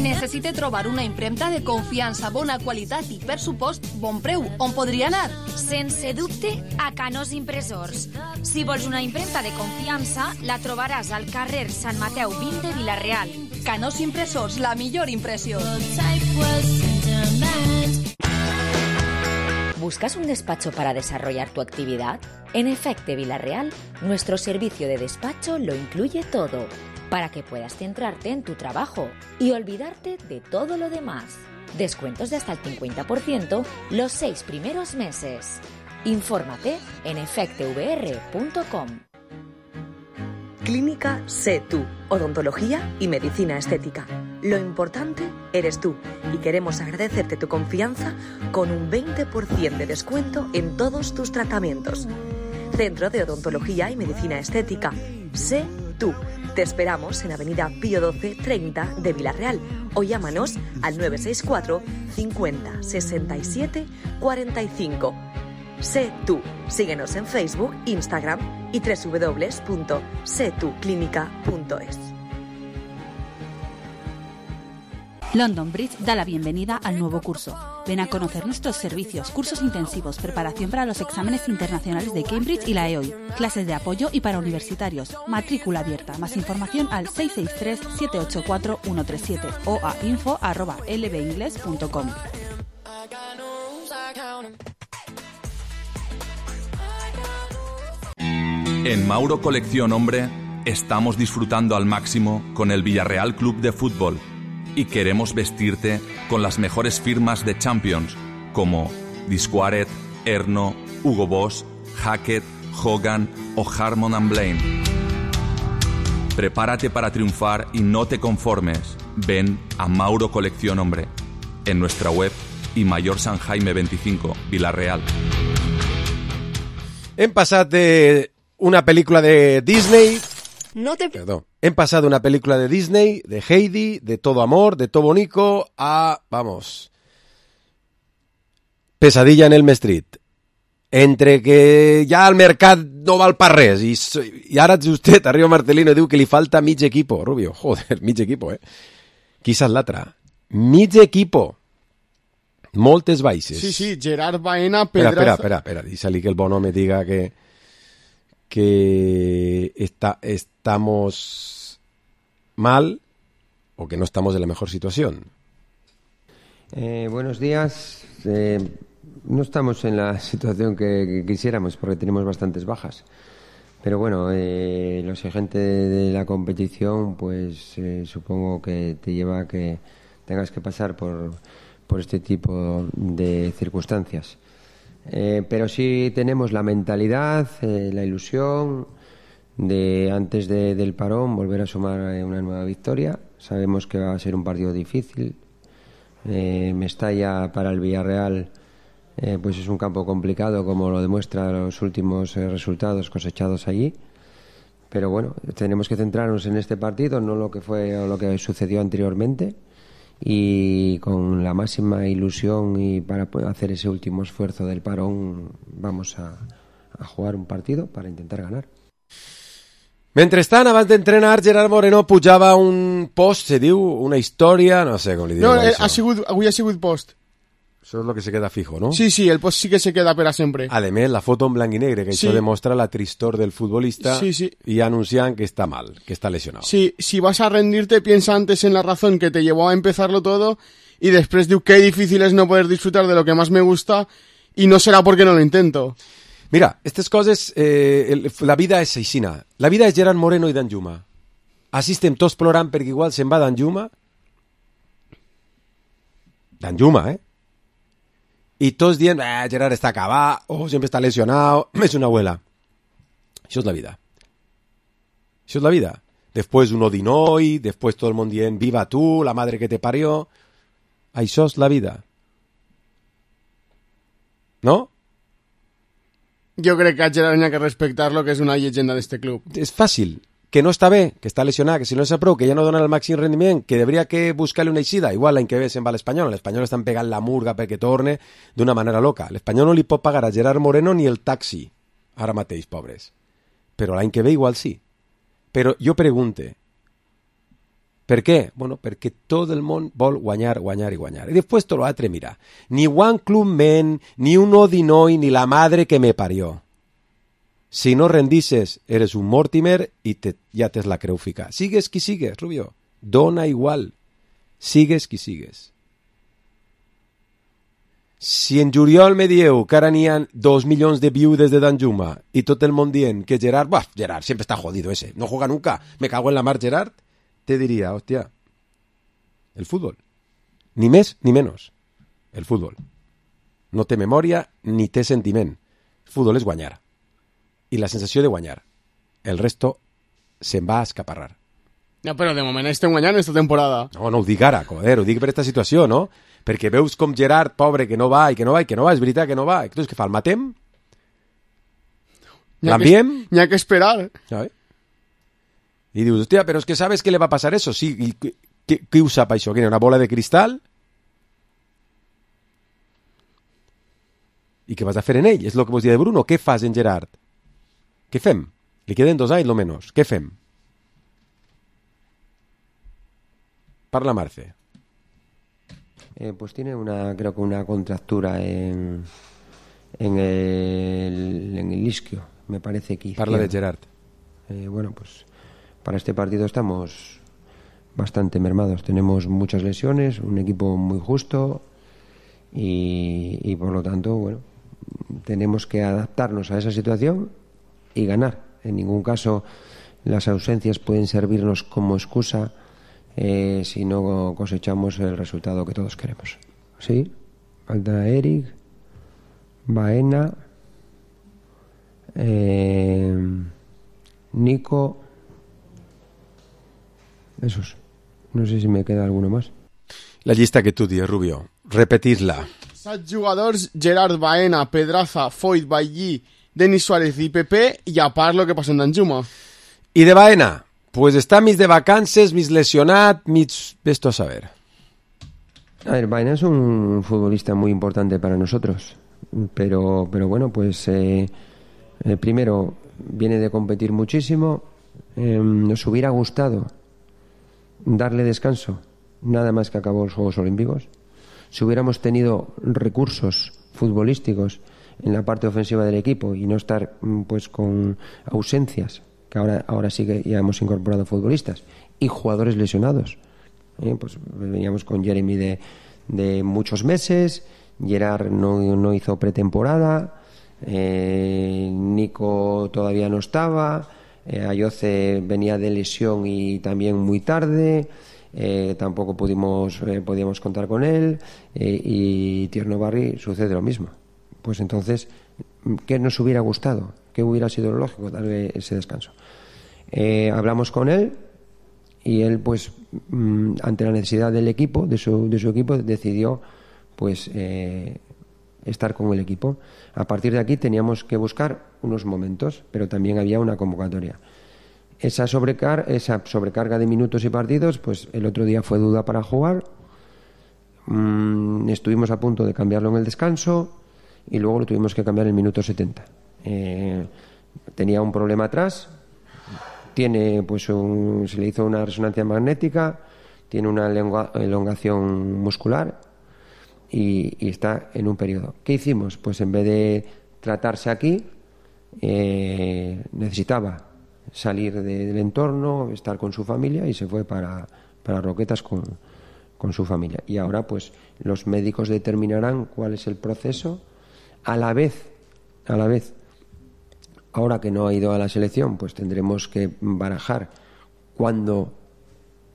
Necessite trobar una impremta de confiança, bona qualitat i, per supost, bon preu. On podria anar? Sense dubte, a Canós Impressors. Si vols una impremta de confiança, la trobaràs al carrer Sant Mateu vint de Vila-real. Canós Impressors, la millor impressió. ¿Buscas un despacho para desarrollar tu actividad? En Efecte Vila-real, nuestro servicio de despacho lo incluye todo, para que puedas centrarte en tu trabajo y olvidarte de todo lo demás. Descuentos de hasta el cincuenta por ciento los seis primeros meses. Infórmate en efecte v r punto com. Clínica Sé Tú, odontología y medicina estética. Lo importante eres tú y queremos agradecerte tu confianza con un veinte por ciento de descuento en todos tus tratamientos. Centro de Odontología y Medicina Estética. Sé Tú. Te esperamos en Avenida Pío doce treinta de Vila-real o llámanos al nueve seis cuatro cincuenta sesenta y siete cuarenta y cinco. Sé Tú. Síguenos en Facebook, Instagram y doble u doble u doble u punto sé tú clínica punto es. London Bridge da la bienvenida al nuevo curso. Ven a conocer nuestros servicios, cursos intensivos, preparación para los exámenes internacionales de Cambridge y la E O I, clases de apoyo y para universitarios, matrícula abierta. Más información al seis seis tres siete ocho cuatro uno tres siete o a info arroba l b ingles punto com. En Mauro Colección Hombre estamos disfrutando al máximo con el Villarreal Club de Fútbol y queremos vestirte con las mejores firmas de Champions como Disquaret, Erno, Hugo Boss, Hackett, Hogan o Harmon and Blaine. Prepárate para triunfar y no te conformes. Ven a Mauro Colección Hombre en nuestra web y Mayor San Jaime veinticinco, Vila-real. Hem passat de una pel·lícula de Disney... No te... Perdó. Hem passat d'una pel·lícula de Disney, de Heidi, de Todo Amor, de Todo Bonico, a... Vamos... Pesadilla en Elm Street. Entre que ja el mercat no val per res i, i ara justet arriba Marcelino i diu que li falta mig equipo. Rubio, joder, mig equipo, eh? Qui és l'altre? Mig equipo. Moltes baixes. Sí, sí, Gerard Baena, Pedraza... Espera, espera, espera, dísali que el bon home diga que que está, estamos mal o que no estamos en la mejor situación. Eh, buenos días. Eh, no estamos en la situación que, que quisiéramos porque tenemos bastantes bajas. Pero bueno, eh, lo exigente de, de la competición, pues eh, supongo que te lleva a que tengas que pasar por, por este tipo de circunstancias. Eh, pero sí tenemos la mentalidad, eh, la ilusión de antes de, del parón volver a sumar una nueva victoria. Sabemos que va a ser un partido difícil. Eh, Mestalla para el Villarreal eh, pues es un campo complicado, como lo demuestran los últimos eh, resultados cosechados allí. Pero bueno, tenemos que centrarnos en este partido, no lo que fue o lo que sucedió anteriormente, y con la máxima ilusión y para hacer ese último esfuerzo del parón vamos a, a jugar un partido para intentar ganar. Mentrestant, abans d'entrenar, Gerard Moreno pujava un post, se diu, una història, no sé com li diu no, això. ha sigut, avui ha sigut post. Això és el que se queda fijo, no? Sí, sí, el post sí que se queda per a sempre. A més, la foto en blanc i negre, que sí. això demostra la tristor del futbolista sí, sí. y anuncian que está mal, que está lesionado. Sí, si vas a rendirte, piensa antes en la razón que te llevó a empezarlo todo y después diu qué difícil es no poder disfrutar de lo que más me gusta y no será porque no lo intento. Mira, aquestes coses, eh, el, la vida és aixina. La vida és Gerard Moreno i Danjuma. Així estem tots plorant perquè igual se'n va Danjuma. Danjuma, eh? I tots dient, eh, Gerard està acabat, o oh, sempre està lesionado, és una abuela. Això és la vida. Això és la vida. Després un Odinoi, després tot el món dient, viva tu, la madre que te parió. Això és la vida. No? Jo crec que a Gerard n'hi ha que respectar-lo, que és una llegenda d'este club. És fàcil, que no està bé, que està lesionat, que si no és a prou, que ja no dona el màxim rendiment, que hauria que buscar-li una eixida. Igual l'any que ve se'n va a l'Espanyol. L'Espanyol estan pegant la murga perquè torne d'una manera loca. L'Espanyol no li pot pagar a Gerard Moreno ni el taxi, ara mateix, pobres. Però l'any que ve igual sí. Però jo pregunte, per què? Bueno, perquè tot el món vol guanyar, guanyar i guanyar. I després tot l'altre, mira, ni One Club Men, ni un Odinoi, ni la madre que me parió. Si no rendices, eres un Mortimer i te, ja tens la creu fica. Sigues qui sigues, Rubio. Dona igual. Sigues qui sigues. Si en juliol me dieu que ara n'hi ha dos milions de viudes de Danjuma i tot el món dient que Gerard, bah, Gerard siempre está jodido ese, no juega nunca, me cago en la mar Gerard, te diria, hòstia, el fútbol. Ni més ni menys. El fútbol. No té memòria ni té sentiment. El fútbol és guanyar. I la sensació de guanyar. El resto se'n va a escaparrar. No, però de moment estem guanyant esta temporada. No, no ho dic ara, joder, ho dic per aquesta situació, no? Perquè veus com Gerard, pobre, que no va i que no va i que no va, és veritat que no va. Entonces, què fa, el matem? L'enviem? N'hi ha que esperar. ¿Sabes? I dius, hòstia, però és que sabes que le va passar eso? Sí, i qui, qui ho sap això? Una bola de cristal? I què vas a fer en ell? És el que vos dia de Bruno. Què fas en Gerard? Què fem? Li queden dos anys, lo menos. Què fem? Parla, Marce. Eh, pues tiene una, creo que una contractura en, en, el, en el isquio, me parece que Parla de Gerard. Eh, bueno, pues para este partido estamos bastante mermados. Tenemos muchas lesiones, un equipo muy justo y, y por lo tanto, bueno, tenemos que adaptarnos a esa situación y ganar. En ningún caso las ausencias pueden servirnos como excusa eh, si no cosechamos el resultado que todos queremos. ¿Sí? Falta Eric, Baena, eh, Nico esos. No sé si me queda alguno más. La llista que tu dius, Rubio. Repetis-la. Set jugadors: Gerard, Baena, Pedraza, Foyt, Ballí, Denis Suárez i Pepe, i a part lo que passa en Danjuma. I de Baena? Pues està mig de vacances, mig lesionat, mig... Esto a saber. A ver, Baena es un futbolista muy importante para nosotros, pero, pero bueno, pues eh, eh, primero viene de competir muchísimo. Eh, nos hubiera gustado darle descanso nada más que acabó los Juegos Olímpicos. Si hubiéramos tenido recursos futbolísticos en la parte ofensiva del equipo y no estar pues con ausencias, que ahora, ahora sí que ya hemos incorporado futbolistas y jugadores lesionados, eh, pues veníamos con Jeremy de, de muchos meses, Gerard no, no hizo pretemporada, eh, Nico todavía no estaba, eh, Ayoce venía de lesión y también muy tarde. Eh, tampoco pudimos eh, podíamos contar con él, eh, y Tierno Barri sucede lo mismo. Pues entonces, ¿qué nos hubiera gustado? ¿Qué hubiera sido lo lógico? Darle ese descanso. Eh, hablamos con él y él, pues, mmm, ante la necesidad del equipo, de su, de su equipo, decidió pues eh, estar con el equipo. A partir de aquí teníamos que buscar unos momentos, pero también había una convocatoria. Esa, sobrecar esa sobrecarga de minutos y partidos, pues el otro día fue duda para jugar. Mm, estuvimos a punto de cambiarlo en el descanso y luego lo tuvimos que cambiar en el minuto setenta. Eh, tenía un problema atrás, tiene, pues un, se le hizo una resonancia magnética, tiene una elongación muscular y, y está en un periodo. ¿Qué hicimos? Pues en vez de tratarse aquí, eh, necesitaba salir de, del entorno, estar con su familia, y se fue para, para Roquetas con, con su familia. Y ahora pues los médicos determinarán cuál es el proceso. A la vez, a la vez, ahora que no ha ido a la selección, pues tendremos que barajar cuándo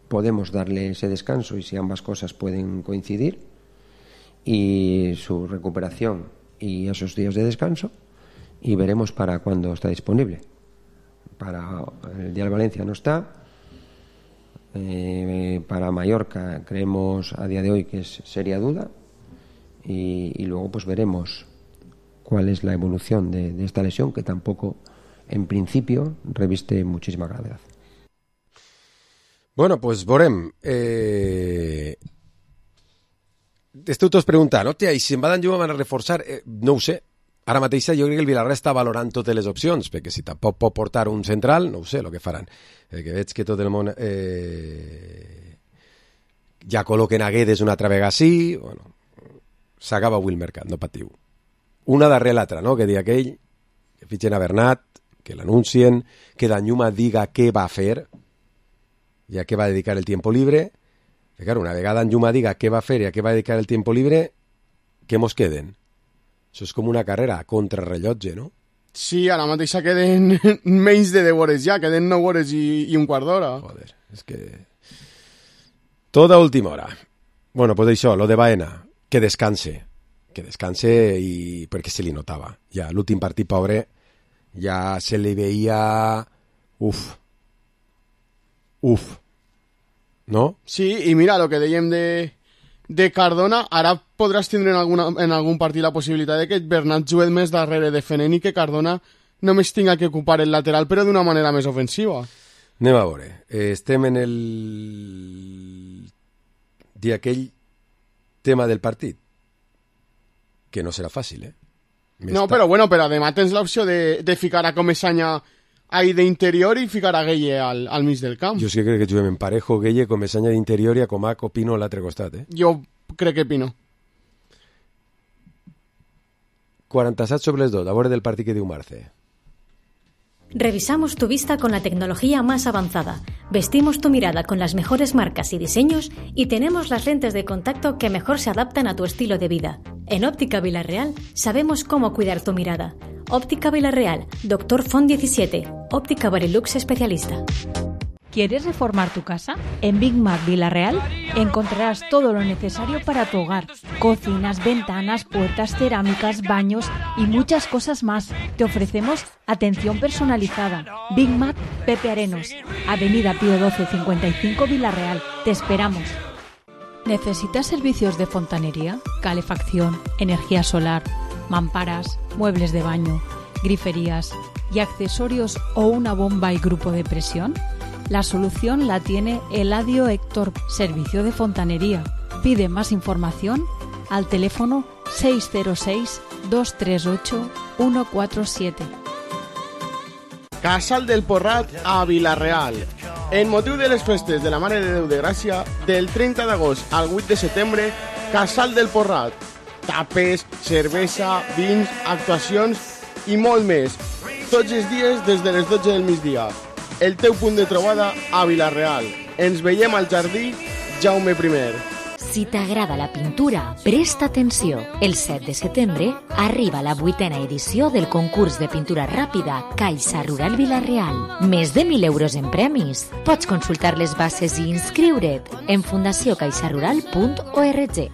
podemos darle ese descanso y si ambas cosas pueden coincidir, y su recuperación y esos días de descanso, y veremos para cuándo está disponible. Para el día de Valencia no está, eh, para Mallorca creemos a día de hoy que es seria duda, y, y luego pues veremos cuál es la evolución de, de esta lesión, que tampoco en principio reviste muchísima gravedad. Bueno, pues veurem. Eh... Esteu tots preguntant, hòstia, i si en va d'enllum van a reforçar? Eh, no ho sé. Ara mateix jo crec que el Villarreal està valorant totes les opcions, perquè si tampoc pot portar un central, no ho sé el que faran. Eh, que veig que tot el món eh, ja col·loquen a Guedes una altra vegada sí, bueno, s'acaba avui el mercat, no patiu. Una darrere l'altra, no? Que digui aquell, que fitxen a Bernat, que l'anuncien, que Danjuma diga què va fer i a què va dedicar el tiempo libre. Que claro, una vegada Danjuma diga què va fer i a què va dedicar el tiempo libre, què mos queden? Això és com una carrera a contrarrellotge, no? Sí, ara mateix queden menys de deu hores ja, queden nou hores i, i un quart d'hora. Joder, és que... Toda última hora. Bueno, pues això, lo de Baena, que descanse. Que descanse i... perquè se li notava. Ja, l'últim partit, pobre, ja se li veia... Uf. Uf. No? Sí, i mira, lo que dèiem de... de Cardona, ara podràs tindre en, alguna, en algun partit la possibilitat de que Bernat jugui més darrere defenent i que Cardona només tinga que ocupar el lateral, però d'una manera més ofensiva. Anem a veure. Eh, estem en el dia aquell tema del partit, que no serà fàcil, eh? Més no, però bueno, però demà tens l'opció de, de ficar a Comesaña ahí d'interior i ficar a Gueye al, al mig del camp. Jo sí que crec que juguem en parejo, Gueye, Comesaña d'interior i a Comac o Pino a l'altre costat, eh? Jo crec que Pino. quaranta-set sobre les dos, a veure del partit que diu Marce. Revisamos tu vista con la tecnología más avanzada, vestimos tu mirada con las mejores marcas y diseños y tenemos las lentes de contacto que mejor se adaptan a tu estilo de vida. En Óptica Villarreal sabemos cómo cuidar tu mirada. Óptica Villarreal, Doctor Font diecisiete, Óptica Barilux especialista. ¿Quieres reformar tu casa? En Big Mac Villarreal encontrarás todo lo necesario para tu hogar. Cocinas, ventanas, puertas, cerámicas, baños y muchas cosas más. Te ofrecemos atención personalizada. Big Mac Pepe Arenos, Avenida Pío doce cincuenta y cinco Villarreal. Te esperamos. ¿Necesitas servicios de fontanería, calefacción, energía solar, mamparas, muebles de baño, griferías y accesorios o una bomba y grupo de presión? La solución la tiene Eladio Héctor, servicio de fontanería. Pide más información al teléfono seis cero seis, dos tres ocho, uno cuatro siete. Casal del Porrat a Vila-real. En motiu de les festes de la Mare de Déu de Gràcia, del trenta d'agost al vuit de setembre, Casal del Porrat. Tapes, cervesa, vins, actuacions i molt més. Tots els dies des de les dotze del migdia. El teu punt de trobada a Vila-real. Ens veiem al jardí Jaume primer. Si t'agrada la pintura, presta atenció. El set de setembre arriba la vuitena edició del concurs de pintura ràpida Caixa Rural Vila-real. Més de mil euros en premis. Pots consultar les bases i inscriure't en fundació caixa rural punt org.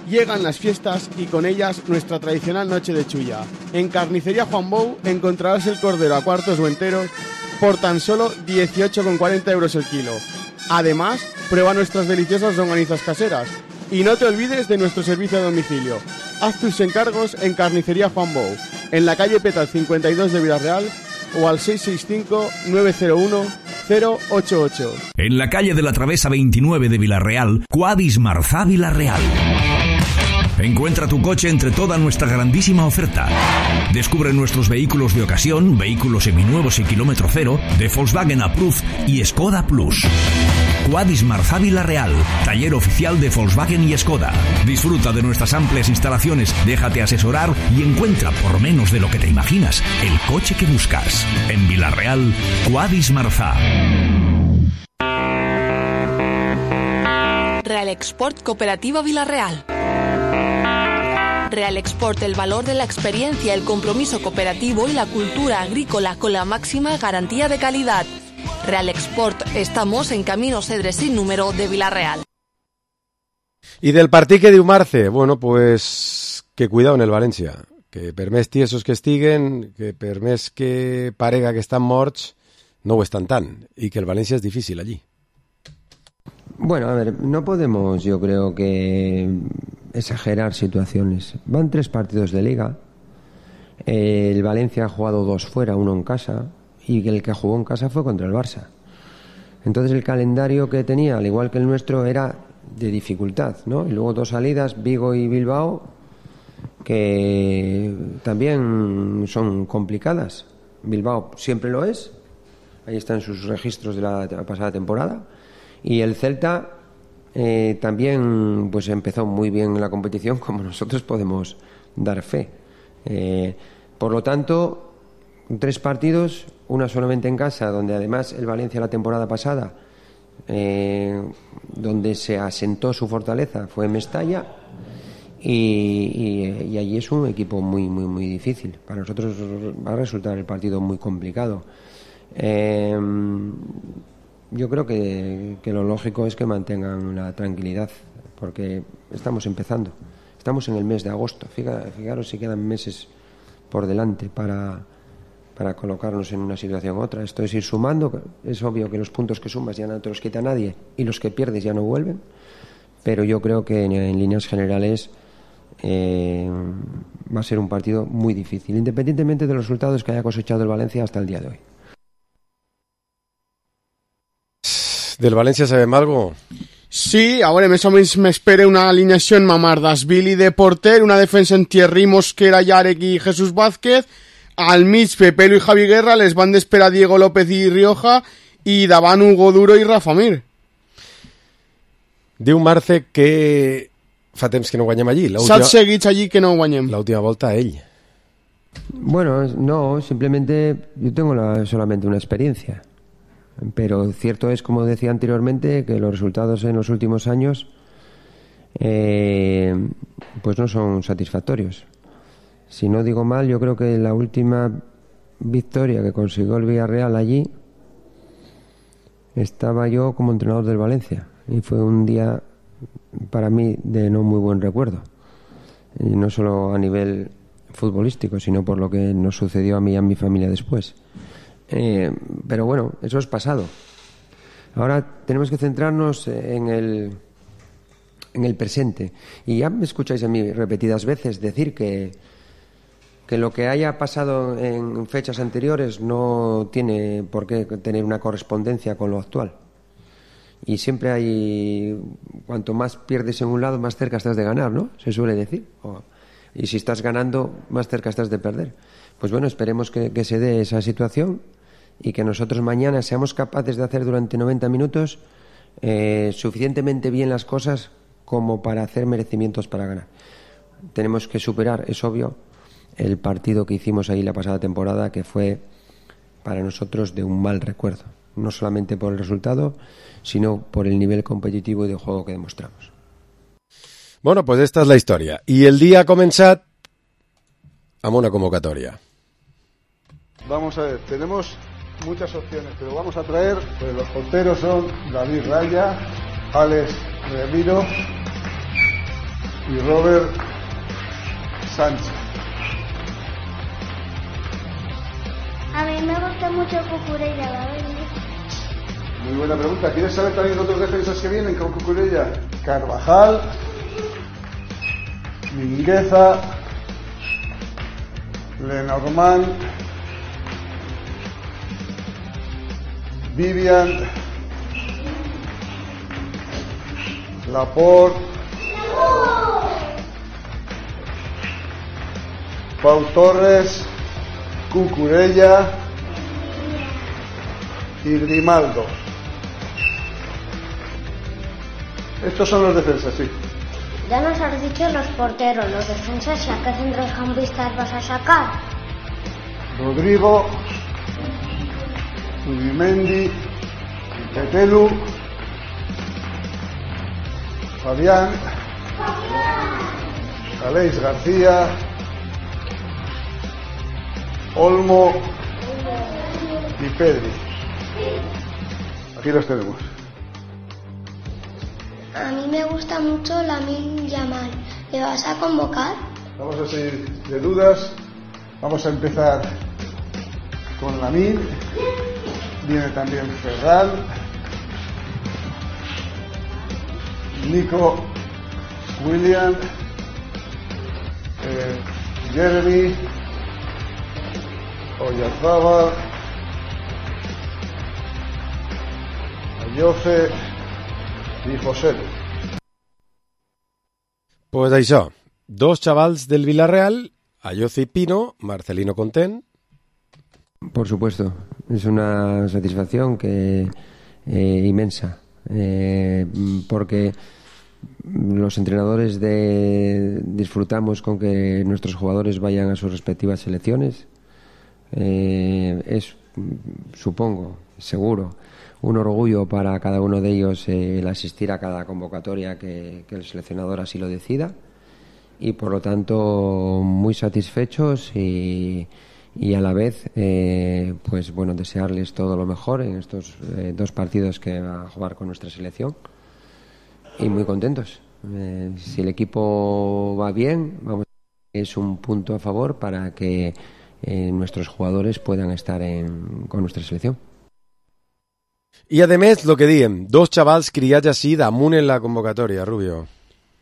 Llegan las fiestas y con ellas nuestra tradicional noche de chulla. En Carnicería Juan Bou encontrarás el cordero a cuartos o enteros por tan solo dieciocho con cuarenta euros el kilo. Además, prueba nuestras deliciosas longanizas caseras. Y no te olvides de nuestro servicio a domicilio. Haz tus encargos en Carnicería Juan Bou, en la calle Petal cincuenta y dos de Vila-real o al seis seis cinco, nueve cero uno, cero ocho ocho. En la calle de la Travesa veintinueve de Vila-real, Quadis Marzá Vila-real. Encuentra tu coche entre toda nuestra grandísima oferta. Descubre nuestros vehículos de ocasión, vehículos seminuevos y kilómetro cero, de Volkswagen Approved y Skoda Plus. Quadis Marzá Vila-real, taller oficial de Volkswagen y Skoda. Disfruta de nuestras amplias instalaciones, déjate asesorar y encuentra, por menos de lo que te imaginas, el coche que buscas. En Vila-real, Quadis Marzá. Real Export Cooperativa Vila-real. Real Export, el valor de la experiencia, el compromiso cooperativo y la cultura agrícola con la máxima garantía de calidad. Real Export, estamos en Camino Cedre sin número de Vila-real. Y del partit que diu Marce, bueno, pues que cuidado en el València, que per més tiesos que estiguen, que per més que parega que estan morts, no ho estan tant, y que el València es difícil allí. Bueno, a ver, no podemos, yo creo que exagerar situaciones. Van tres partidos de liga. El Valencia ha jugado dos fuera, uno en casa, y el que jugó en casa fue contra el Barça. Entonces el calendario que tenía, al igual que el nuestro, era de dificultad, ¿no? Y luego dos salidas, Vigo y Bilbao, que también son complicadas. Bilbao siempre lo es, ahí están sus registros de la pasada temporada. Y el Celta eh, también pues empezó muy bien la competición, como nosotros podemos dar fe. Eh, por lo tanto, tres partidos, una solamente en casa, donde además el Valencia la temporada pasada, eh, donde se asentó su fortaleza, fue en Mestalla, y, y, y allí es un equipo muy, muy, muy difícil. Para nosotros va a resultar el partido muy complicado. Eh, Yo creo que, que lo lógico es que mantengan la tranquilidad, porque estamos empezando. Estamos en el mes de agosto. Fijaros, fijaros si quedan meses por delante para, para colocarnos en una situación u otra. Esto es ir sumando. Es obvio que los puntos que sumas ya no te los quita nadie y los que pierdes ya no vuelven. Pero yo creo que en, en líneas generales eh, va a ser un partido muy difícil, independientemente de los resultados que haya cosechado el Valencia hasta el día de hoy. Del València sabem algo? Sí, a veure, més o menys m'espera una alineació en Mamardashvili de porter, una defensa en Thierry Mosquera, Yarek i Jesús Vázquez, al mig Pepelo i Javi Guerra, les van d'esperar Diego López i Rioja, i davant Hugo Duro i Rafa Mir. Diu Marce que fa temps que no guanyem allí. Saps seguits allí que no guanyem. L'última volta ell. Bueno, no, simplemente yo tengo la, solamente una experiencia. Pero cierto es, como decía anteriormente, que los resultados en los últimos años eh, pues no son satisfactorios. Si no digo mal, yo creo que la última victoria que consiguió el Villarreal allí, estaba yo como entrenador del Valencia y fue un día para mí de no muy buen recuerdo, y no solo a nivel futbolístico, sino por lo que nos sucedió a mí y a mi familia después. Eh, pero bueno, eso es pasado. Ahora tenemos que centrarnos en el en el presente, y ya me escucháis a mí repetidas veces decir que que lo que haya pasado en fechas anteriores no tiene por qué tener una correspondencia con lo actual. Y siempre hay, cuanto más pierdes en un lado, más cerca estás de ganar, ¿no? Se suele decir. O, y si estás ganando, más cerca estás de perder. Pues bueno, esperemos que, que se dé esa situación y que nosotros mañana seamos capaces de hacer durante noventa minutos eh, suficientemente bien las cosas como para hacer merecimientos para ganar. Tenemos que superar, es obvio, el partido que hicimos ahí la pasada temporada, que fue para nosotros de un mal recuerdo, no solamente por el resultado, sino por el nivel competitivo y de juego que demostramos. Bueno, pues esta es la historia. Y el día ha començat amb una convocatoria. Vamos a ver, tenemos muchas opciones, pero vamos a traer, pues los porteros son David Raya, Alex Remiro y Robert Sánchez. A mí me gusta mucho Cucurella, la verdad. Muy buena pregunta. ¿Quieres saber también otros defensas que vienen con Cucurella? Carvajal, Mingueza, Lenormand, Vivian, Laporte, Pau Torres, Cucurella y Grimaldo. Estos son los defensas, sí. Ya nos has dicho los porteros, los defensas, ¿y a qué centrocampistas vas a sacar? Rodrigo, Zubimendi, Petelu, Fabián, Aleix García, Olmo y Pedri. Aquí los tenemos. A mí me gusta mucho Lamine Yamal. ¿Le vas a convocar? Vamos a seguir de dudas. Vamos a empezar con Lamine. Viene también Ferran, Nico, William, eh, Jeremy, Oyarzabal, Ayoce y José. Pues això, dos xavals del Villarreal, Ayoce y Pino, Marcelino content. Por supuesto, es una satisfacción que eh, inmensa, eh, porque los entrenadores de, disfrutamos con que nuestros jugadores vayan a sus respectivas selecciones. Eh, es, supongo, seguro, un orgullo para cada uno de ellos eh, el asistir a cada convocatoria que, que el seleccionador así lo decida, y por lo tanto muy satisfechos y, y a la vez eh, pues bueno, desearles todo lo mejor en estos eh, dos partidos que va a jugar con nuestra selección, y muy contentos. Eh, si el equipo va bien, vamos, es un punto a favor para que eh, nuestros jugadores puedan estar en, con nuestra selección. I, a més, el que diem, dos xavals criats així damunt en la convocatòria, Rubio.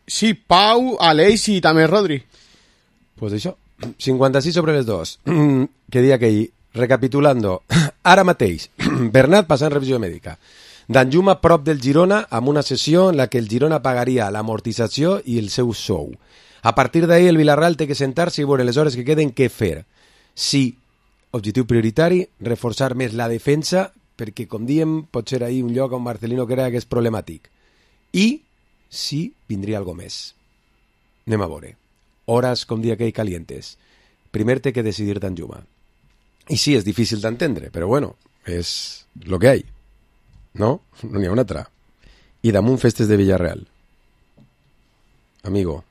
Sí, Pau, Aleix i també Rodri. Pues això, cinquanta-sis sobre les dos. Que dia que hi, recapitulando, ara mateix, Bernat passant revisió mèdica. Danjuma prop del Girona amb una sessió en la que el Girona pagaria l'amortització i el seu sou. A partir d'ahí el Villarreal té que sentar-se i veure les hores que queden què fer. Sí, objectiu prioritari, reforçar més la defensa, perquè, com diem, pot ser ahir un lloc on Marcelino crea que és problemàtic. I, sí, vindria algo més. Anem a veure. Hores, com dia aquell, calientes. Primer té que decidir Danjuma. I sí, és difícil d'entendre, però bueno, és lo que hay. No? No n'hi ha una altra. I damunt festes de Villarreal. Amigo.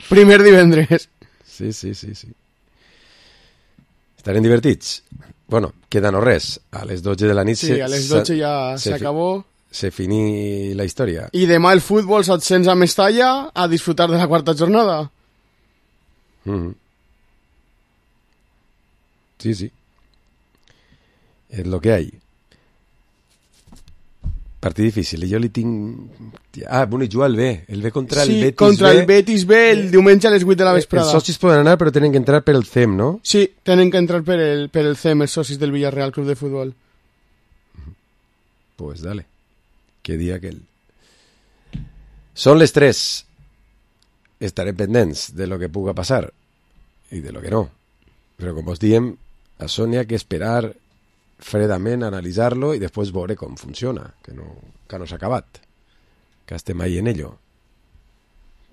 Primer divendres. Sí, sí, sí, sí. Estarem divertits? Bueno, queda no res. A les dotze de la nit... Sí, a les dotze ja s'acabó. Se finí la història. I demà el futbol se't sents a Mestalla a disfrutar de la quarta jornada. Mm-hmm. Sí, sí. És lo que hay. Partit difícil. Jo li tinc... Ah, bueno, i juga el B. El B contra sí, el Betis B. Sí, contra el Betis B el diumenge a les vuit de la vesprada. Els socis poden anar, però tenen que entrar per el C E M, no? Sí, tenen que entrar per el, per el C E M, els socis del Villarreal Club de Futbol. Pues dale. Que dia aquell. Són les tres. Estarem pendents de lo que puga passar i de lo que no. Però com us diem, a Sònia que esperar fredament, analitzar-lo i després veure com funciona, que no, que no s'ha acabat, que estem ahí en ello.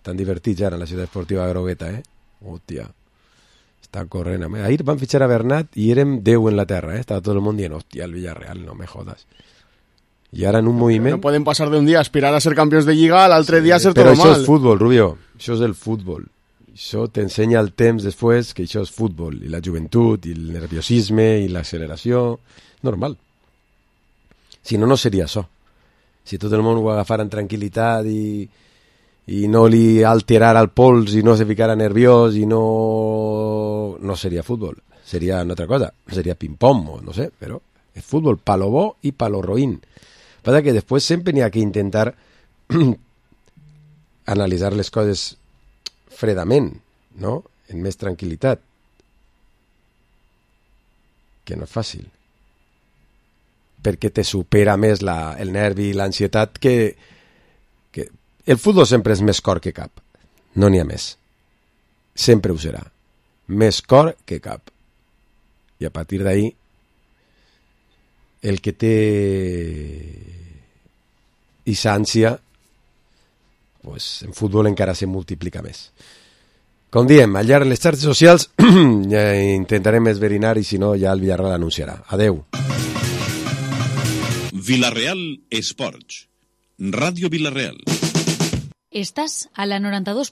Tan divertits ara en la ciutat esportiva grogueta, eh? Hòstia, està corrent. Ahir van fitxar a Bernat i érem deu en la terra, eh? Estava tot el món dient, hòstia, el Villarreal, no me jodas. I ara en un moviment... No poden passar d'un dia a aspirar a ser campions de Lliga a l'altre sí, dia a ser tot mal. Però això és futbol, Rubio, això és el futbol. Això t'ensenya el temps després que això és futbol, i la joventut, i el nerviosisme, i l'acceleració... Normal. Si no, no seria això. Si tot el món ho agafara en tranquil·litat i, i no li alterara el pols i no se ficara nerviós i no... no seria futbol. Seria una altra cosa. Seria ping-pong o no sé, però és futbol palo bo i palo roïn. Passa que després sempre n'hi ha que intentar analitzar les coses fredament, no? En més tranquil·litat. Que no és fàcil. Perquè te supera més la, el nervi i l'ansietat que, que... El futbol sempre és més cor que cap. No n'hi ha més. Sempre ho serà. Més cor que cap. I a partir d'ahí el que té ixa ànsia pues, en futbol encara se multiplica més. Com diem, al llarg de les xarxes socials ja intentarem esverinar i si no ja el Villarreal anunciarà. Adeu. Villarreal Esports. Radio Villarreal. Estás a la noranta dos